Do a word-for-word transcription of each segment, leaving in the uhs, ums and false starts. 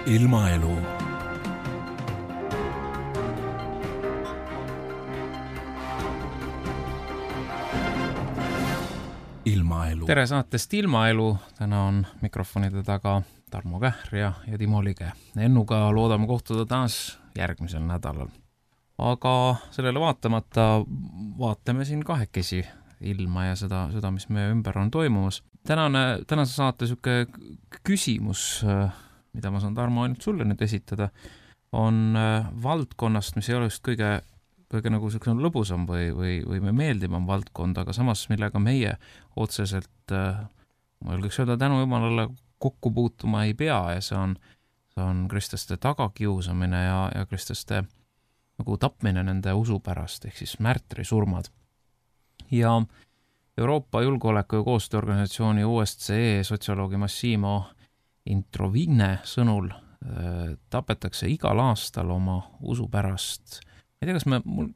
Ilmaelu. Ilmaelu. Tere saatest Ilmaelu. Täna on mikrofonide taga Tarmo Kähr ja, ja Timo Lige. Ennuga loodame kohtuda taas järgmisel nädalal. Aga sellele vaatamata vaatame siin kahekesi ilma ja seda, seda mis meie ümber on toimumas. Tänane, tänase saate süke küsimus, mida ma saan Tarmo ainult sulle nüüd esitada, on valdkonnast, mis ei ole just kõige, kõige nagu selline lõbusam või, või, või meeldivam valdkond, aga samas millega meie otseselt, ma julgeks öelda, tänu jumalale kokku puutuma ei pea ja see on, see on kristlaste tagakiusamine ja, ja kristlaste nagu tapmine nende usu pärast, ehk siis märtrisurmad. Ja Euroopa Julgeoleku- ja Koostööorganisatsiooni O S C E sotsioloogi Massimo Introvigne sõnul äh, tapetakse igal aastal oma usu pärast. Ma ei tea, kas, me, mul,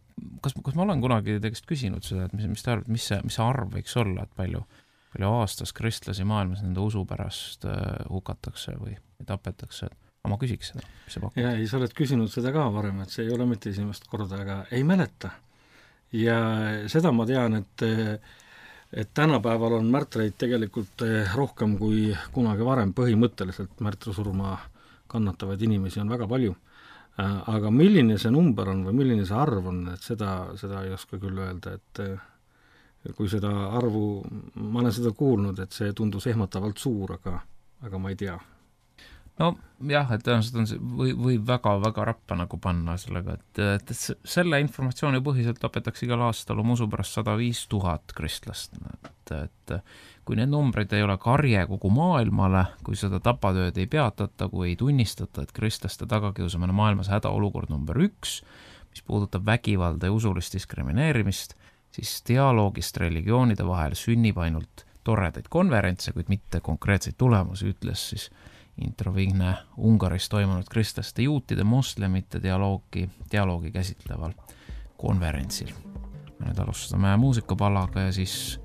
kas, kas ma olen kunagi tegest küsinud seda, et mis, mis te arvad, mis see, mis see arv võiks olla, et palju, palju aastas kristlasi maailmas nende usu pärast äh, hukatakse või, või tapetakse. Aga ma küsiks seda, mis see pakub. Ja ei, sa oled küsinud seda ka varem, et see ei ole mitte esimest korda, aga ei mäleta. Ja seda ma tean, et et tänapäeval on märtreid tegelikult rohkem kui kunagi varem, põhimõtteliselt märtrisurma kannatavaid inimesi on väga palju. Aga milline see number on või milline see arv on, et seda, seda ei oska küll öelda, et kui seda arvu, ma olen seda kuulnud, et see tundus ehmatavalt suur, aga, aga ma ei tea. No jah, et tõenäoliselt on see, või, või väga, väga rappa nagu panna sellega, et, et selle informatsiooni põhiselt tapetakse igal aastal oma usu pärast sada viis tuhat kristlast. Et, et kui need numbrid ei ole karje kogu maailmale, kui seda tapatööd ei peatata, kui ei tunnistata, et kristlaste tagakiusamine maailmas hädaolukord number üks, mis puudutab vägivalda ja usulist diskrimineerimist, siis dialoogist religioonide vahel sünnib ainult toredaid konverentse, kuid mitte konkreetseid tulemusi, ütles siis Introvigne Ungaris toimunud kristlaste juutide moslemite dialoogi, dialoogi käsitleval konverentsil. Me nüüd alustame muusikapalaga ja siis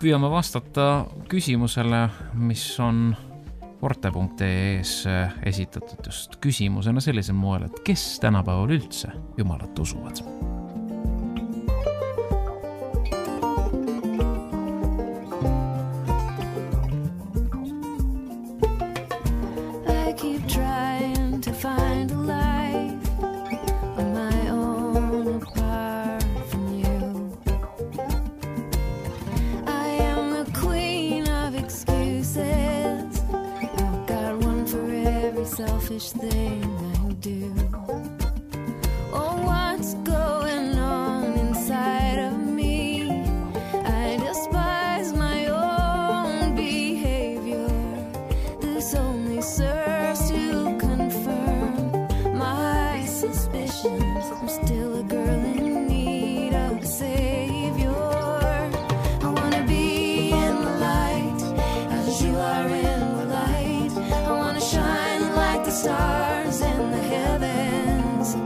püüame vastata küsimusele, mis on Forte punkt ee es esitatud just küsimusena sellisel moel, et kes tänapäeval üldse Jumalat usuvad? Selfish thing I do. Oh, what's going on inside of me? I despise my own behavior. This only serves to confirm my suspicions. I'm still a girl in need of a savior. I wanna be in the light as you are in the light. I wanna shine the stars in the heavens.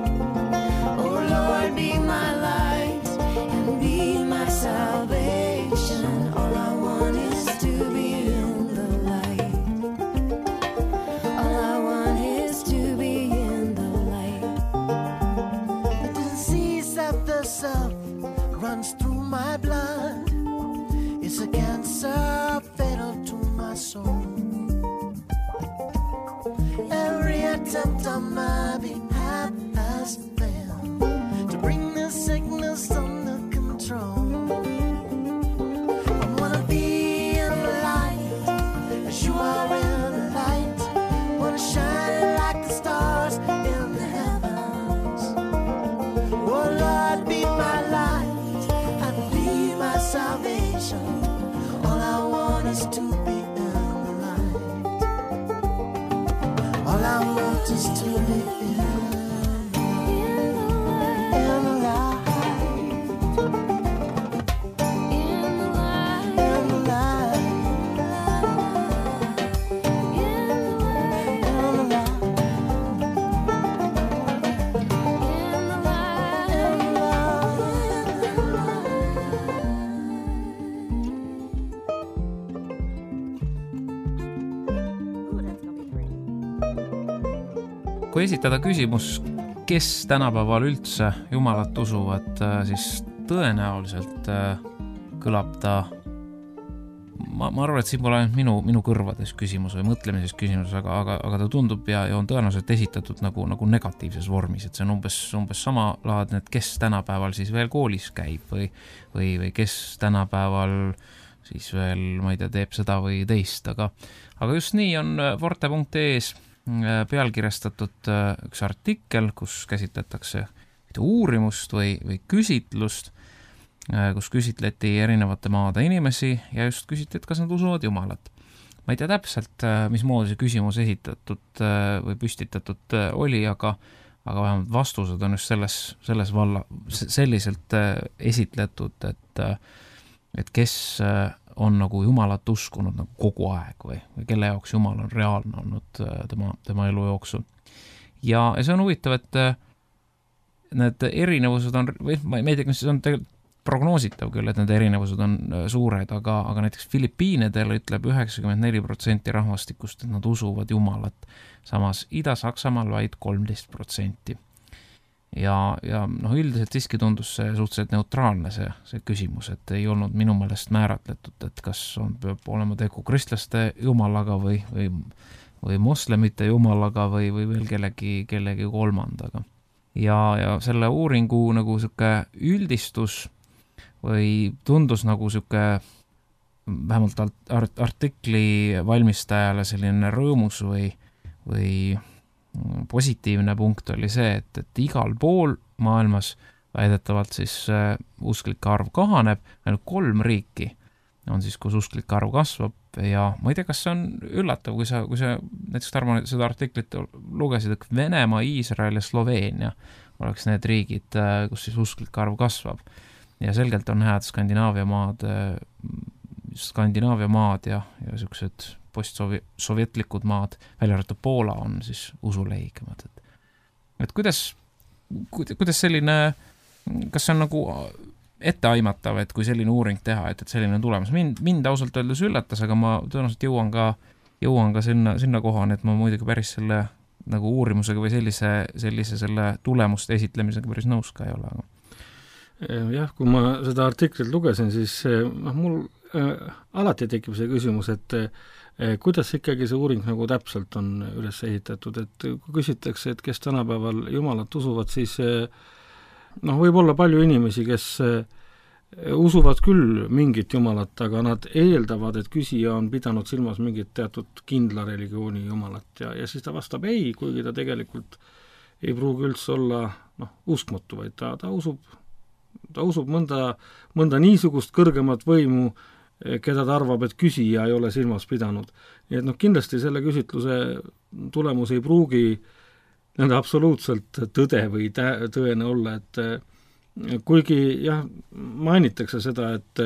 Oh Lord, be my light and be my salvation. All I want is to be in the light. All I want is to be in the light. The disease of the self runs through my blood. It's a cancer fatal to my soul. Every attempt on my behalf has failed to bring the sickness under control. I wanna be in the light as you are in the light. Wanna shine like the stars in the heavens. Oh Lord, be my light and be my salvation. All I want is to be all I want is to be in, in the light, in the light, in the light, in the light, in the light. Ooh, that's gonna be great. kui esitada küsimus, kes tänapäeval üldse Jumalat usuvad, siis tõenäoliselt kõlab ta, ma, ma arvan, et siin pole ainult minu, minu kõrvades küsimus või mõtlemises küsimus, aga, aga, aga ta tundub ja, ja on tõenäoliselt esitatud nagu, nagu negatiivses vormis, et see on umbes, umbes sama laadne, et kes tänapäeval siis veel koolis käib või, või, või kes tänapäeval siis veel, ma ei tea, teeb seda või teist, aga, aga just nii on Forte punkt ee-s pealkirjastatud üks artikkel, kus käsitletakse uurimust või, või küsitlust, kus küsitleti erinevate maade inimesi ja just küsiti, et kas nad usuvad Jumalat. Ma ei tea täpselt, mismoodi see küsimus esitatud või püstitatud oli, aga, aga vähemalt vastused on just selles, selles valla, selliselt esitletud, et, et kes on nagu Jumalat uskunud nagu kogu aeg või, või kelle jaoks Jumal on reaalne olnud tema, tema elu jooksul. Ja, ja see on huvitav, et need erinevused on, või ma ei tea, mis see on tegelikult prognoositav küll, et need erinevused on suured, aga, aga näiteks Filipiinidel ütleb üheksakümmend neli protsenti rahvastikust, et nad usuvad Jumalat, samas Ida-Saksamaal vaid kolmteist protsenti. Ja, ja noh, üldiselt siiski tundus see suhteliselt neutraalne see, see küsimus, et ei olnud minu meelest määratletud, et kas on, peab olema tegu kristlaste Jumalaga või, või, või moslemite Jumalaga või, või veel kellegi, kellegi kolmandaga. Ja, ja selle uuringu nagu siuke üldistus või tundus nagu siuke vähemalt art- artikli valmistajale selline rõõmus või, või positiivne punkt oli see, et, et igal pool maailmas väidetavalt siis uh, usklike arv kahaneb, ainult kolm riiki on siis, kus usklike arv kasvab ja ma ei tea, kas see on üllatav, kui sa, kui sa näiteks Tarmo seda artiklit lugesid, et Venemaa, Iisrael ja Sloveenia oleks need riigid, kus siis usklike arv kasvab. Ja selgelt on hääd Skandinaavia maad, Skandinaavia maad ja, ja sellised postsovjetlikud maad, välja arvatud Poola on siis usuleigemad. Et, et kuidas, kuidas selline, kas see on nagu etteaimatav, et kui selline uuring teha, et, et selline on tulemas? Mind, mind ausalt öeldes üllatas, aga ma tõenäoliselt jõuan ka, jõuan ka sinna, sinna kohani, et ma muidugi päris selle nagu uurimusega või sellise, sellise selle tulemuste esitlemisega päris nõus ka ei ole. Aga jah, kui ma seda artiklit lugesin, siis noh, mul äh, alati tekib see küsimus, et äh, kuidas ikkagi see uuring nagu täpselt on üles ehitatud, et kui küsitakse, et kes tänapäeval Jumalat usuvad, siis äh, noh, võib olla palju inimesi, kes äh, usuvad küll mingit Jumalat, aga nad eeldavad, et küsija on pidanud silmas mingit teatud kindla religiooni Jumalat ja, ja siis ta vastab ei, kuigi ta tegelikult ei pruugi üldse olla noh, uskmatu, vaid ta, ta usub ta usub mõnda, mõnda niisugust kõrgemat võimu, keda ta arvab, et küsija ei ole silmas pidanud. Nii et noh, kindlasti selle küsitluse tulemus ei pruugi nende absoluutselt tõde või tä- tõene olla, et kuigi jah, mainitakse seda, et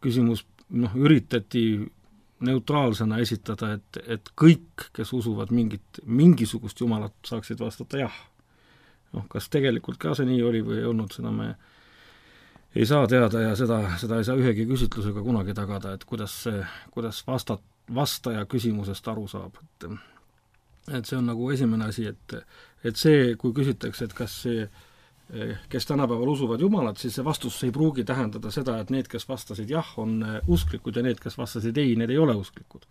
küsimus noh, üritati neutraalsena esitada, et, et kõik, kes usuvad mingit, mingisugust Jumalat, saaksid vastata jah. Noh, kas tegelikult ka see nii oli või ei olnud, seda me ei saa teada ja seda, seda ei saa ühegi küsitlusega kunagi tagada, et kuidas, kuidas vastat, vastaja küsimusest aru saab. Et, et see on nagu esimene asi, et, et see, kui küsitakse, et kas see, kes tänapäeval usuvad Jumalat, siis see vastus ei pruugi tähendada seda, et need, kes vastasid jah, on usklikud ja need, kes vastasid ei, need ei ole usklikud.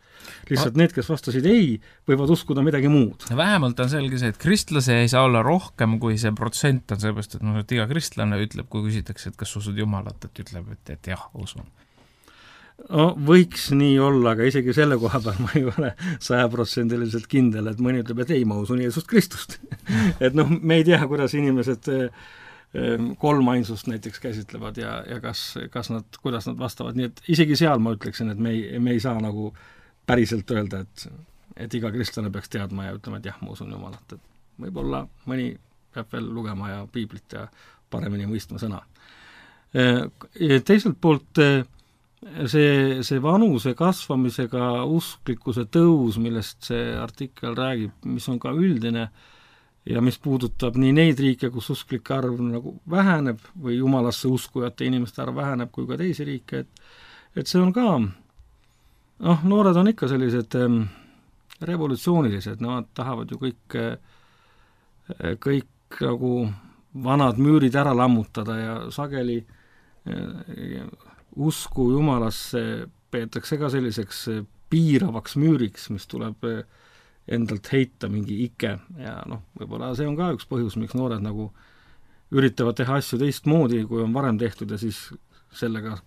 Lihtsalt need, kes vastasid ei, võivad uskuda midagi muud. Vähemalt on selge see, et kristlase ei saa olla rohkem, kui see protsent on sellepärast, et, no, et iga kristlane ütleb, kui küsitakse, et kas usud Jumalat, et ütleb, et, et jah, usun. No, võiks nii olla, aga isegi selle koha peal ma ei ole sajaprotsendiliselt kindel, et mõni ütleb, et ei, ma usun Jeesust Kristust. et noh, me ei tea, kuidas inimesed kolm ainsust näiteks käsitlevad ja, ja kas, kas nad, kuidas nad vastavad, nii et isegi seal ma ütleksin, et me ei, me ei saa nagu päriselt öelda, et, et iga kristlane peaks teadma ja ütlema, et jah, ma usun Jumalat, et võib-olla mõni peab veel lugema ja piiblit ja paremini mõistma sõna. Teiselt poolt see, see vanuse kasvamisega usklikkuse tõus, millest see artikkel räägib, mis on ka üldine ja mis puudutab nii neid riike, kus usklike arv nagu väheneb või Jumalasse uskujate inimeste arv väheneb, kui ka teisi riike, et, et see on ka, noh, noored on ikka sellised ähm, revolutsioonilised, nad tahavad ju kõik äh, kõik nagu vanad müürid ära lammutada ja sageli usku jumalasse peetakse ka selliseks piiravaks müüriks, mis tuleb endalt heita mingi ike ja noh, võib-olla see on ka üks põhjus, miks noored nagu üritavad teha asju teistmoodi, kui on varem tehtud ja siis sellega,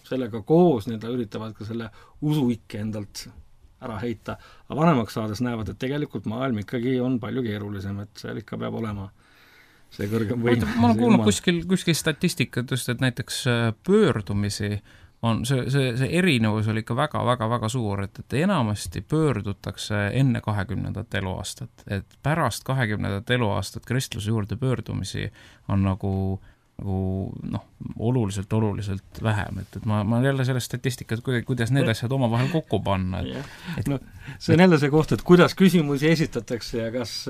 sellega koos nii-öelda üritavad ka selle usuikke endalt ära heita, aga vanemaks saades näevad, et tegelikult maailm ikkagi on palju keerulisem, et seal ikka peab olema see kõrgem võim. Ma olen kuulnud kuskil, kuskil statistikat just, et näiteks pöördumisi on see, see, see erinevus oli ikka väga, väga, väga suur, et, et enamasti pöördutakse enne kahekümnendat eluaastat, et pärast kahekümnendat eluaastat kristluse juurde pöördumisi on nagu, nagu noh, oluliselt, oluliselt vähem, et, et ma, ma jälle sellest statistikat, kuidas need asjad omavahel kokku panna. Et, et... No, see on jälle see koht, et kuidas küsimusi esitatakse ja kas,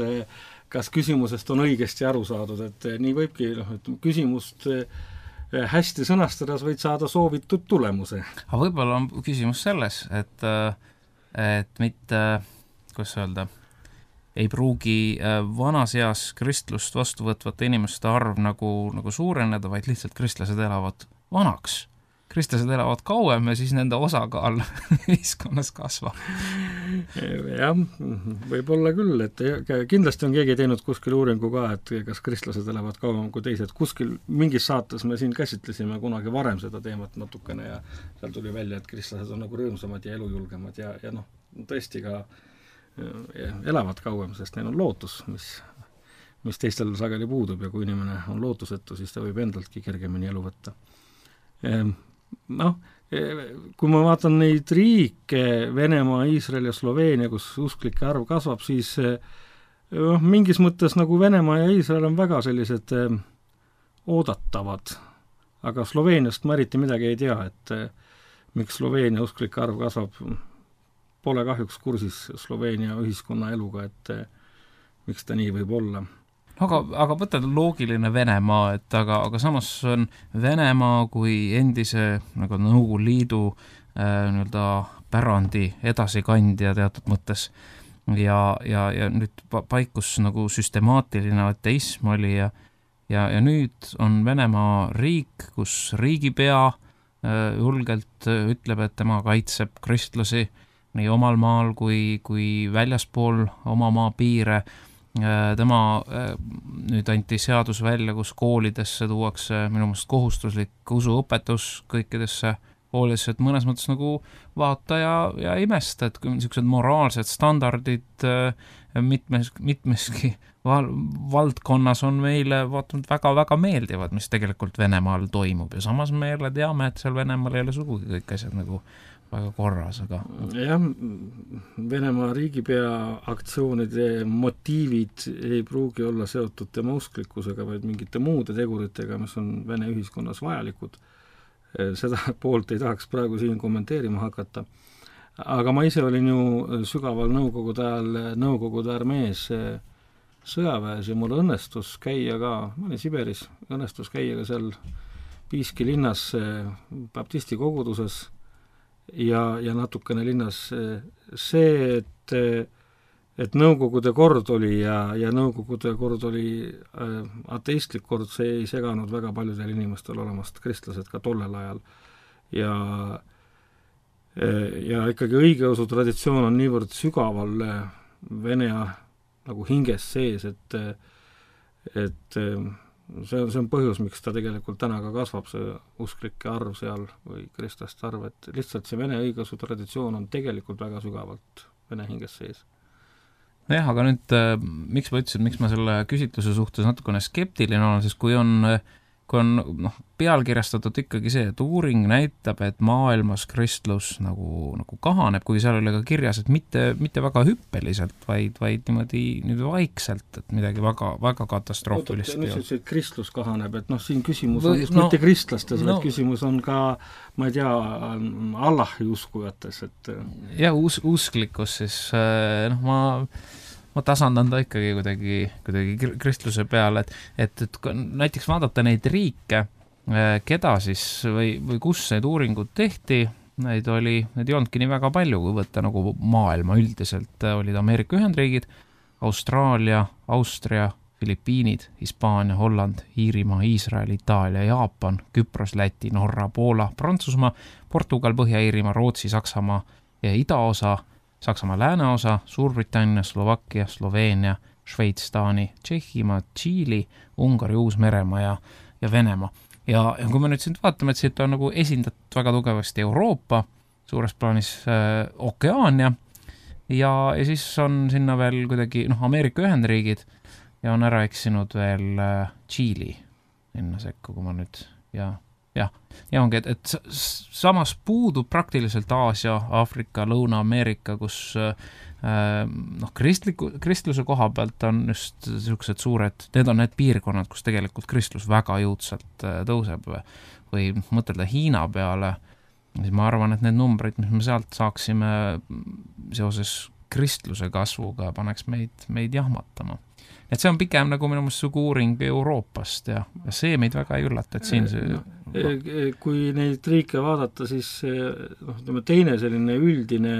kas küsimusest on õigesti aru saadud, et nii võibki, noh, et küsimust hästi sõnastades võid saada soovitud tulemuse. Aga võib-olla on küsimus selles, et, et mitte, kuidas öelda, ei pruugi vanas eas kristlust vastu võtvate inimeste arv nagu, nagu suureneda, vaid lihtsalt kristlased elavad vanaks. Kristlased elavad kauem ja siis nende osakaal ühiskonnas kasvab. Jah, võib-olla küll, et kindlasti on keegi teinud kuskil uuringu ka, et kas kristlased elavad kauem kui teised. Kuskil mingis saates me siin käsitlesime kunagi varem seda teemat natukene ja seal tuli välja, et kristlased on nagu rõõmsamad ja elujulgemad ja, ja noh, tõesti ka elavad kauem, sest neil on lootus, mis, mis teistel sageli puudub ja kui inimene on lootusetu, siis ta võib endaltki kergemini elu võtta. Noh, kui ma vaatan neid riike, Venemaa, Iisrael ja Sloveenia, kus usklike arv kasvab, siis noh, mingis mõttes nagu Venemaa ja Iisrael on väga sellised oodatavad, aga Sloveeniast ma eriti midagi ei tea, et miks Sloveenia usklike arv kasvab, pole kahjuks kursis Sloveenia ühiskonna eluga, et miks ta nii võib olla. Aga, aga võtta loogiline Venemaa, et aga, aga samas on Venemaa kui endise nagu Nõukogude Liidu äh, nii-öelda pärandi edasikandja teatud mõttes ja, ja, ja nüüd paikus nagu süstemaatiline ateism oli ja, ja, ja nüüd on Venemaa riik, kus riigipea äh, julgelt ütleb, et tema kaitseb kristlasi nii omal maal kui, kui väljaspool oma maa piire. Tema nüüd anti seadus välja, kus koolidesse tuuakse minu meelest kohustuslik usuõpetus kõikidesse koolidesse, et mõnes mõttes nagu vaata ja, ja imesta, et kui niisugused moraalsed standardid mitmes, mitmeski val, valdkonnas on meile vaatanud väga-väga meeldivad, mis tegelikult Venemaal toimub ja samas me jälle teame, et seal Venemaal ei ole sugugi kõik asjad nagu väga korras, aga... Jah, Venemaa riigipea aktsioonide motiivid ei pruugi olla seotud tema usklikkusega, vaid mingite muude teguritega, mis on Vene ühiskonnas vajalikud. Seda poolt ei tahaks praegu siin kommenteerima hakata. Aga ma ise olin ju sügaval nõukogude ajal, nõukogude armees sõjaväes ja mul õnnestus käia ka, ma olin Siberis, õnnestus käia ka seal Piiski linnas baptisti koguduses ja, ja natukene linnas see, et, et nõukogude kord oli ja, ja nõukogude kord oli äh, ateistlik kord, see ei seganud väga paljudel inimestel olemast kristlased ka tollel ajal. Ja, ja ikkagi õigeusu traditsioon on niivõrd sügaval Vene nagu hinges sees, et, et see on, see on põhjus, miks ta tegelikult täna ka kasvab, see usklike arv seal või kristlaste arv, et lihtsalt see Vene õigeusu traditsioon on tegelikult väga sügavalt Vene hinges sees. Jah, aga nüüd miks ma ütlesin, miks ma selle küsitluse suhtes natukene skeptiline olen, sest kui on, kui on noh, pealkirjastatud ikkagi see, et uuring näitab, et maailmas kristlus nagu, nagu kahaneb, kui seal oli ka kirjas, et mitte, mitte väga hüppeliselt, vaid, vaid niimoodi nüüd vaikselt, et midagi väga, väga katastroofilist. Nüüd see kristlus kahaneb, et noh, siin küsimus on just no, mitte kristlastes, no, vaid küsimus on ka, ma ei tea, Allahi uskujates, et ja us, usklikkus siis, noh, ma ma tasandan ta ikkagi kuidagi, kuidagi kristluse peale, et, et, et näiteks vaadata neid riike, keda siis või, või kus need uuringud tehti, neid oli, neid ei olnudki nii väga palju, kui võtta nagu maailma üldiselt, olid Ameerika Ühendriigid, Austraalia, Austria, Filipiinid, Hispaania, Holland, Iirimaa, Iisrael, Itaalia, Jaapan, Küpros, Läti, Norra, Poola, Prantsusmaa, Portugal, Põhja-Iirimaa, Rootsi, Saksamaa ja idaosa, Saksamaa lääneosa, Suurbritannia, Slovakkia, Sloveenia, Šveits, Taani, Tšehhimaa, Tšiili, Ungari, Uus-Meremaa ja, ja Venemaa. Ja, ja kui me nüüd siin vaatame, et siit on nagu esindatud väga tugevasti Euroopa, suures plaanis äh, Okeaania ja, ja siis on sinna veel kuidagi noh, Ameerika Ühendriigid ja on ära eksinud veel äh, Tšiili sinna sekku, kui ma nüüd ja, ja, ja ongi, et, et samas puudub praktiliselt Aasia, Aafrika, Lõuna-Ameerika, kus äh, noh, kristliku, kristluse koha pealt on just sellised suured, need on need piirkonnad, kus tegelikult kristlus väga jõudsalt tõuseb või mõtelda Hiina peale, siis ma arvan, et need numbrid, mis me sealt saaksime seoses kristluse kasvuga, paneks meid, meid jahmatama. Et see on pigem nagu minu mõttes sugu uuring Euroopast ja, ja see meid väga ei üllata, et siin see... Kui neid riike vaadata, siis noh, teine selline üldine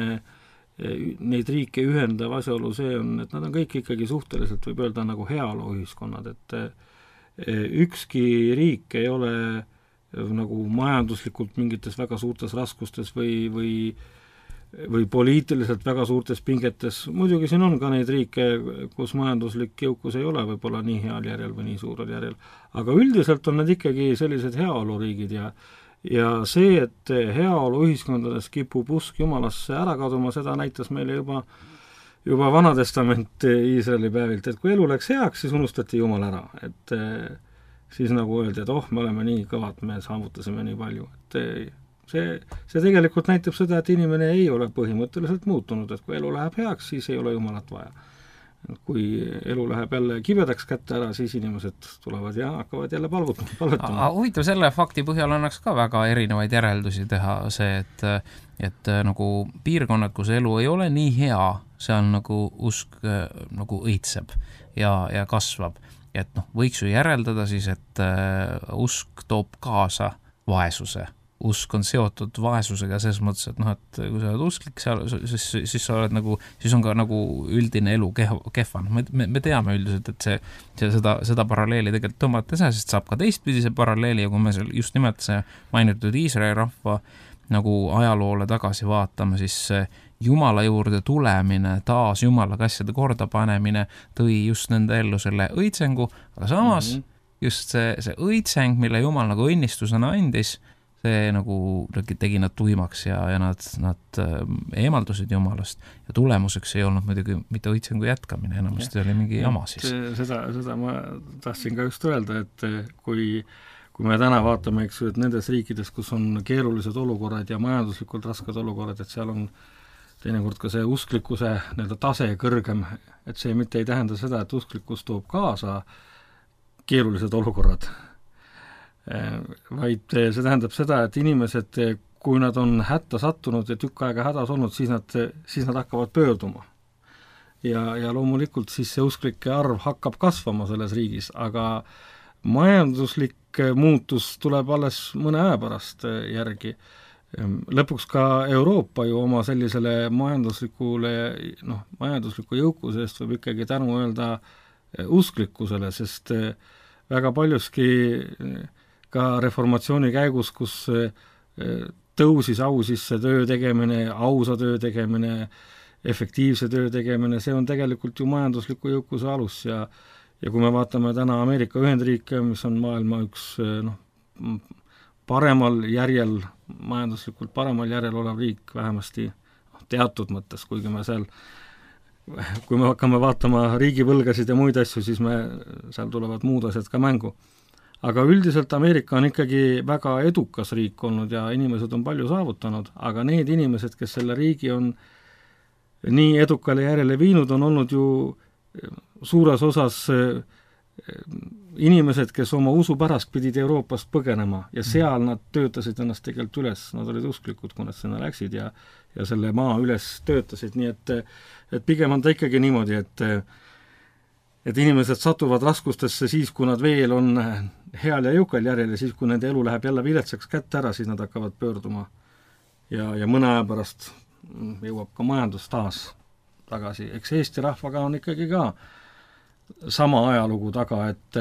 neid riike ühendav asjaolu see on, et nad on kõik ikkagi suhteliselt, võib öelda, nagu heaoluühiskonnad, et ükski riik ei ole nagu majanduslikult mingites väga suurtes raskustes või, või, või poliitiliselt väga suurtes pingetes. Muidugi siin on ka neid riike, kus majanduslik jõukus ei ole võib-olla nii heal järjel või nii suurel järjel, aga üldiselt on need ikkagi sellised heaoluriigid ja ja see, et heaolu ühiskondades kipub usk Jumalasse ära kaduma, seda näitas meile juba, juba Vanatestament Iisraeli päevilt, et kui elu läks heaks, siis unustati Jumal ära, et siis nagu öeldi, et oh, me oleme nii kõvad, me saavutasime nii palju, et see, see tegelikult näitab seda, et inimene ei ole põhimõtteliselt muutunud, et kui elu läheb heaks, siis ei ole Jumalat vaja. Kui elu läheb jälle kibedaks kätte ära, siis inimesed tulevad ja hakkavad jälle palvutama. palvutama. Huvitav, selle fakti põhjal annaks ka väga erinevaid järeldusi teha see, et, et nagu piirkonnad, kus elu ei ole nii hea, seal nagu usk nagu õitseb ja, ja kasvab. Et noh, võiks ju järeldada siis, et usk toob kaasa vaesuse. Usk on seotud vaesusega selles mõttes, et noh, et kui sa oled usklik, seal, siis, siis sa oled nagu, siis on ka nagu üldine elu kehva. Me, me, me teame üldiselt, et see, see seda, seda paralleeli tegelikult tõmmata saa, sest saab ka teistpidise paralleeli ja kui me just nimelt see mainitud Iisraeli rahva nagu ajaloole tagasi vaatame, siis Jumala juurde tulemine, taas Jumala asjade korda panemine tõi just nende ellu selle õitsengu, aga samas mm -hmm. just see, see õitseng, mille Jumal nagu õnnistusena andis, see nagu tegi nad tuimaks ja, ja nad, nad eemaldusid Jumalast ja tulemuseks ei olnud muidugi mitte õitsengu jätkamine, enamasti oli mingi jama siis. Seda, seda ma tahtsin ka just öelda, et kui, kui me täna vaatame, eks ju, et nendes riikides, kus on keerulised olukorrad ja majanduslikult rasked olukorrad, et seal on teinekord ka see usklikkuse nii-öelda tase kõrgem, et see mitte ei tähenda seda, et usklikkus toob kaasa keerulised olukorrad, vaid see tähendab seda, et inimesed, kui nad on hätta sattunud ja tükk aega hädas olnud, siis nad, siis nad hakkavad pöörduma. Ja, ja loomulikult siis see usklike arv hakkab kasvama selles riigis, aga majanduslik muutus tuleb alles mõne aja pärast järgi. Lõpuks ka Euroopa ju oma sellisele majanduslikule, noh, majandusliku jõukuse eest võib ikkagi tänu öelda usklikkusele, sest väga paljuski ka reformatsiooni käigus, kus tõusis au sisse töö tegemine, ausa töö tegemine, efektiivse töö tegemine, see on tegelikult ju majandusliku jõukuse alus ja ja kui me vaatame täna Ameerika Ühendriike, mis on maailma üks noh, paremal järjel, majanduslikult paremal järjel olev riik vähemasti teatud mõttes, kuigi me seal, kui me hakkame vaatama riigivõlgasid ja muid asju, siis me, seal tulevad muud asjad ka mängu. Aga üldiselt Ameerika on ikkagi väga edukas riik olnud ja inimesed on palju saavutanud, aga need inimesed, kes selle riigi on nii edukale järjele viinud, on olnud ju suures osas inimesed, kes oma usu pärast pidid Euroopast põgenema ja seal nad töötasid ennast tegelikult üles, nad olid usklikud, kui nad sinna läksid ja, ja selle maa üles töötasid, nii et, et pigem on ta ikkagi niimoodi, et et inimesed satuvad raskustesse siis, kui nad veel on heal ja jõukal järjel ja siis, kui nende elu läheb jälle viletsaks kätte ära, siis nad hakkavad pöörduma. Ja, ja mõne aja pärast jõuab ka majandus taas tagasi. Eks Eesti rahvaga on ikkagi ka sama ajalugu taga, et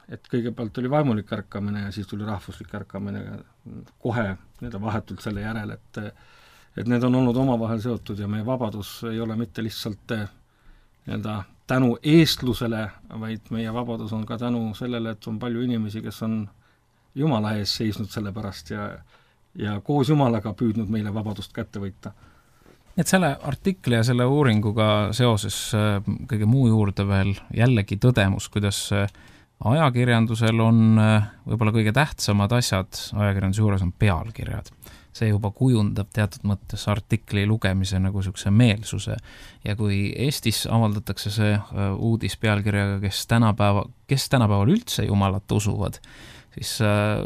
et kõigepealt oli vaimulik ärkamine ja siis tuli rahvuslik ärkamine kohe nii-öelda vahetult selle järel, et et need on olnud omavahel seotud ja meie vabadus ei ole mitte lihtsalt nii-öelda tänu eestlusele, vaid meie vabadus on ka tänu sellele, et on palju inimesi, kes on Jumala ees seisnud selle pärast ja, ja koos Jumalaga püüdnud meile vabadust kätte võita. Et selle artikli ja selle uuringuga seoses kõige muu juurde veel jällegi tõdemus, kuidas ajakirjandusel on võib-olla kõige tähtsamad asjad ajakirjanduse juures on pealkirjad. See juba kujundab teatud mõttes artikli lugemise nagu niisuguse meelsuse. Ja kui Eestis avaldatakse see uudis pealkirjaga, kes tänapäeva, kes tänapäeval üldse Jumalat usuvad, siis äh,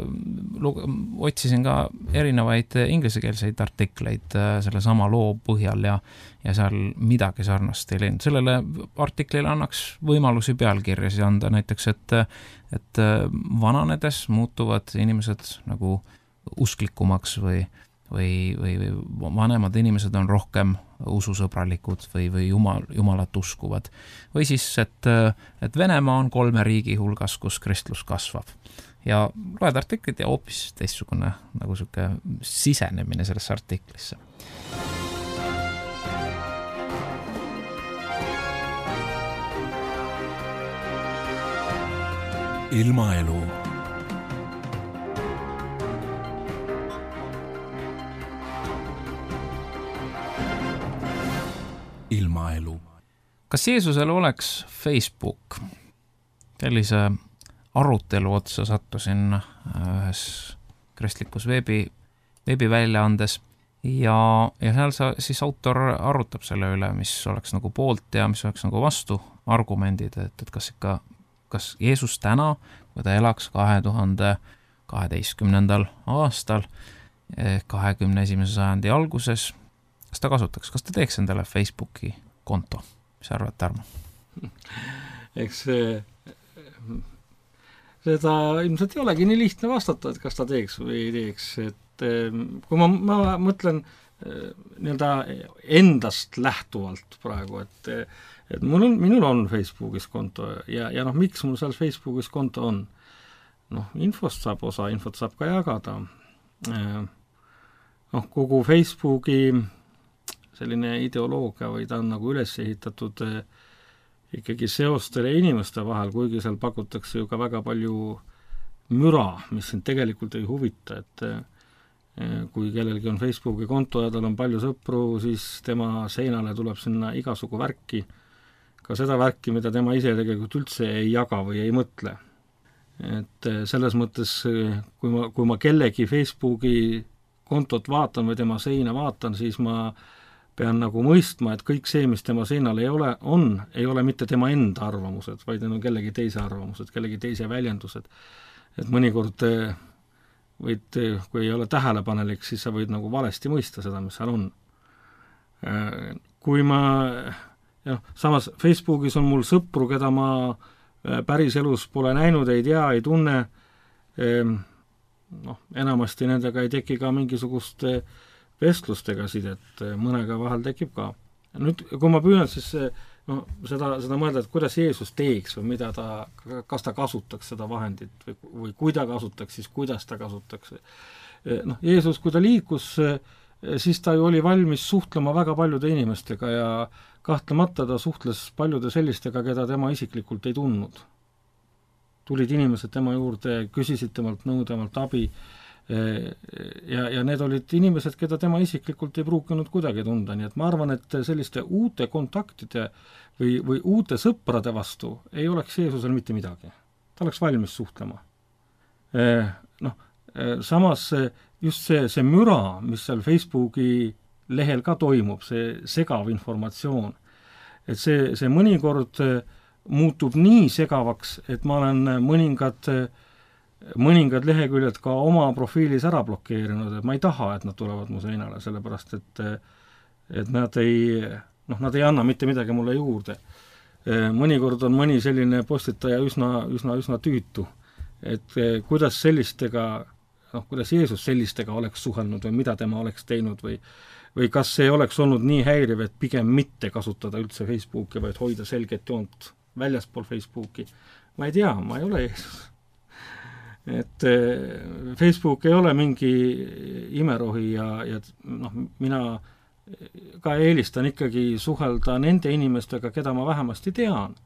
otsisin ka erinevaid ingliskeelseid artikleid äh, selle sama loo põhjal ja, ja seal midagi sarnast ei leidnud. Sellele artiklile annaks võimalusi pealkirjasi anda näiteks, et, et vananedes muutuvad inimesed nagu usklikumaks või, või, või, või vanemad inimesed on rohkem ususõbralikud või, või jumal, Jumalat uskuvad. Või siis, et, et Venemaa on kolme riigi hulgas, kus kristlus kasvab. Ja loed artiklit ja hoopis teistsugune nagu siuke sisenemine sellesse artiklisse. Ilmaelu. Ilmaelu. Kas Jeesusel oleks Facebook? Sellise arutelu otsa sattusin ühes kristlikus veebi, veebiväljaandes ja, ja seal sa, siis autor arutab selle üle, mis oleks nagu poolt ja mis oleks nagu vastu argumendid, et, et kas ikka, kas Jeesus täna, kui ta elaks kahe tuhande kaheteistkümnendal aastal, kahekümne esimese sajandi alguses, kas ta kasutaks, kas ta teeks endale Facebooki konto? Mis arvad, Tarmo? Eks see seda ilmselt ei olegi nii lihtne vastata, et kas ta teeks või ei teeks, et kui ma, ma mõtlen nii-öelda endast lähtuvalt praegu, et, et mul on, minul on Facebookis konto ja, ja noh, miks mul seal Facebookis konto on? Noh, infost saab osa, infot saab ka jagada. Noh, kogu Facebooki selline ideoloogia või ta on nagu üles ehitatud ikkagi seostele inimeste vahel, kuigi seal pakutakse ju ka väga palju müra, mis sind tegelikult ei huvita, et kui kellelgi on Facebooki konto ja tal on palju sõpru, siis tema seinale tuleb sinna igasugu värki, ka seda värki, mida tema ise tegelikult üldse ei jaga või ei mõtle. Et selles mõttes, kui ma, kui ma kellegi Facebooki kontot vaatan või tema seina vaatan, siis ma pean nagu mõistma, et kõik see, mis tema seinal ei ole, on, ei ole mitte tema enda arvamused, vaid need on kellegi teise arvamused, kellegi teise väljendused. Et mõnikord võid, kui ei ole tähelepanelik, siis sa võid nagu valesti mõista seda, mis seal on. Kui ma, jah, samas Facebookis on mul sõpru, keda ma päris elus pole näinud, ei tea, ei tunne, noh, enamasti nendega ei teki ka mingisugust vestlustega sidet, mõnega vahel tekib ka. Nüüd, kui ma püüan siis no, seda, seda mõelda, et kuidas Jeesus teeks või mida ta, kas ta kasutaks seda vahendit või, või kui ta kasutaks, siis kuidas ta kasutaks. Noh, Jeesus, kui ta liikus, siis ta ju oli valmis suhtlema väga paljude inimestega ja kahtlemata ta suhtles paljude sellistega, keda tema isiklikult ei tundnud. Tulid inimesed tema juurde, küsisid temalt nõu, temalt abi, ja, ja need olid inimesed, keda tema isiklikult ei pruukinud kuidagi tunda, nii et ma arvan, et selliste uute kontaktide või, või uute sõprade vastu ei oleks Jeesusel mitte midagi. Ta oleks valmis suhtlema. Noh, samas just see, see müra, mis seal Facebooki lehel ka toimub, see segav informatsioon, et see, see mõnikord muutub nii segavaks, et ma olen mõningad mõningad leheküljed ka oma profiilis ära blokeerinud, et ma ei taha, et nad tulevad mu seinale, sellepärast et, et nad ei, noh, nad ei anna mitte midagi mulle juurde. Mõnikord on mõni selline postitaja üsna, üsna, üsna tüütu, et kuidas sellistega, noh, kuidas Jeesus sellistega oleks suhelnud või mida tema oleks teinud või, või kas see oleks olnud nii häiriv, et pigem mitte kasutada üldse Facebooki, vaid hoida selget joont väljaspool Facebooki, ma ei tea, ma ei ole Jeesus. Et Facebook ei ole mingi imerohi ja, ja noh, mina ka eelistan ikkagi suhelda nende inimestega, keda ma vähemasti tean,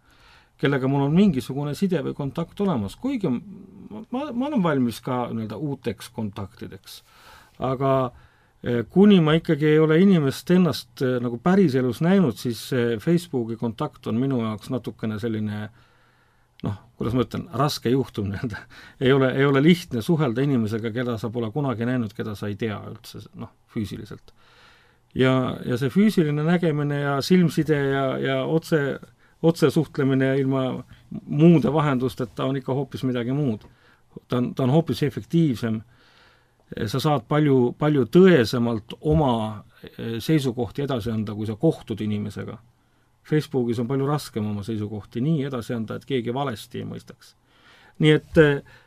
kellega mul on mingisugune side või kontakt olemas, kuigi ma, ma olen valmis ka nii-öelda uuteks kontaktideks. Aga kuni ma ikkagi ei ole inimest ennast nagu päriselus näinud, siis Facebooki kontakt on minu jaoks natukene selline noh, kuidas ma ütlen, raske juhtum nii-öelda. Ei ole, ei ole lihtne suhelda inimesega, keda sa pole kunagi näinud, keda sa ei tea üldse, noh, füüsiliselt. Ja, ja see füüsiline nägemine ja silmside ja, ja otse, otse suhtlemine ilma muude vahendusteta on ikka hoopis midagi muud. Ta on, ta on hoopis efektiivsem. Sa saad palju, palju tõesemalt oma seisukohti edasi anda, kui sa kohtud inimesega. Facebookis on palju raskem oma seisukohti nii edasi anda, et keegi valesti ei mõistaks. Nii et,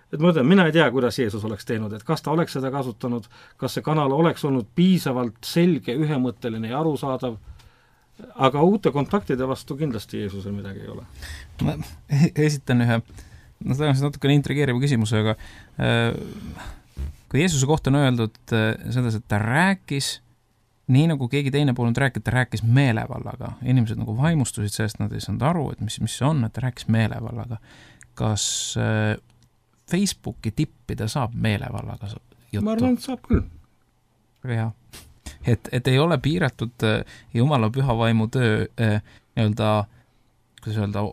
et ma ütlen, mina ei tea, kuidas Jeesus oleks teinud, et kas ta oleks seda kasutanud, kas see kanal oleks olnud piisavalt selge, ühemõtteline ja arusaadav, aga uute kontaktide vastu kindlasti Jeesusel midagi ei ole. Ma esitan ühe, no tõenäoliselt natukene intrigeeriva küsimuse, aga kui Jeesuse kohta on öeldud seda, et ta rääkis nii nagu keegi teine polnud rääkida, ta rääkis meelevallaga. Inimesed nagu vaimustusid sellest, nad ei saanud aru, et mis, mis see on, et ta rääkis meelevallaga. Kas äh, Facebooki tippida saab meelevallaga juttu? Ma arvan, et saab küll. Väga hea. Et, et ei ole piiratud äh, Jumala püha vaimu töö äh, nii-öelda, kuidas öelda,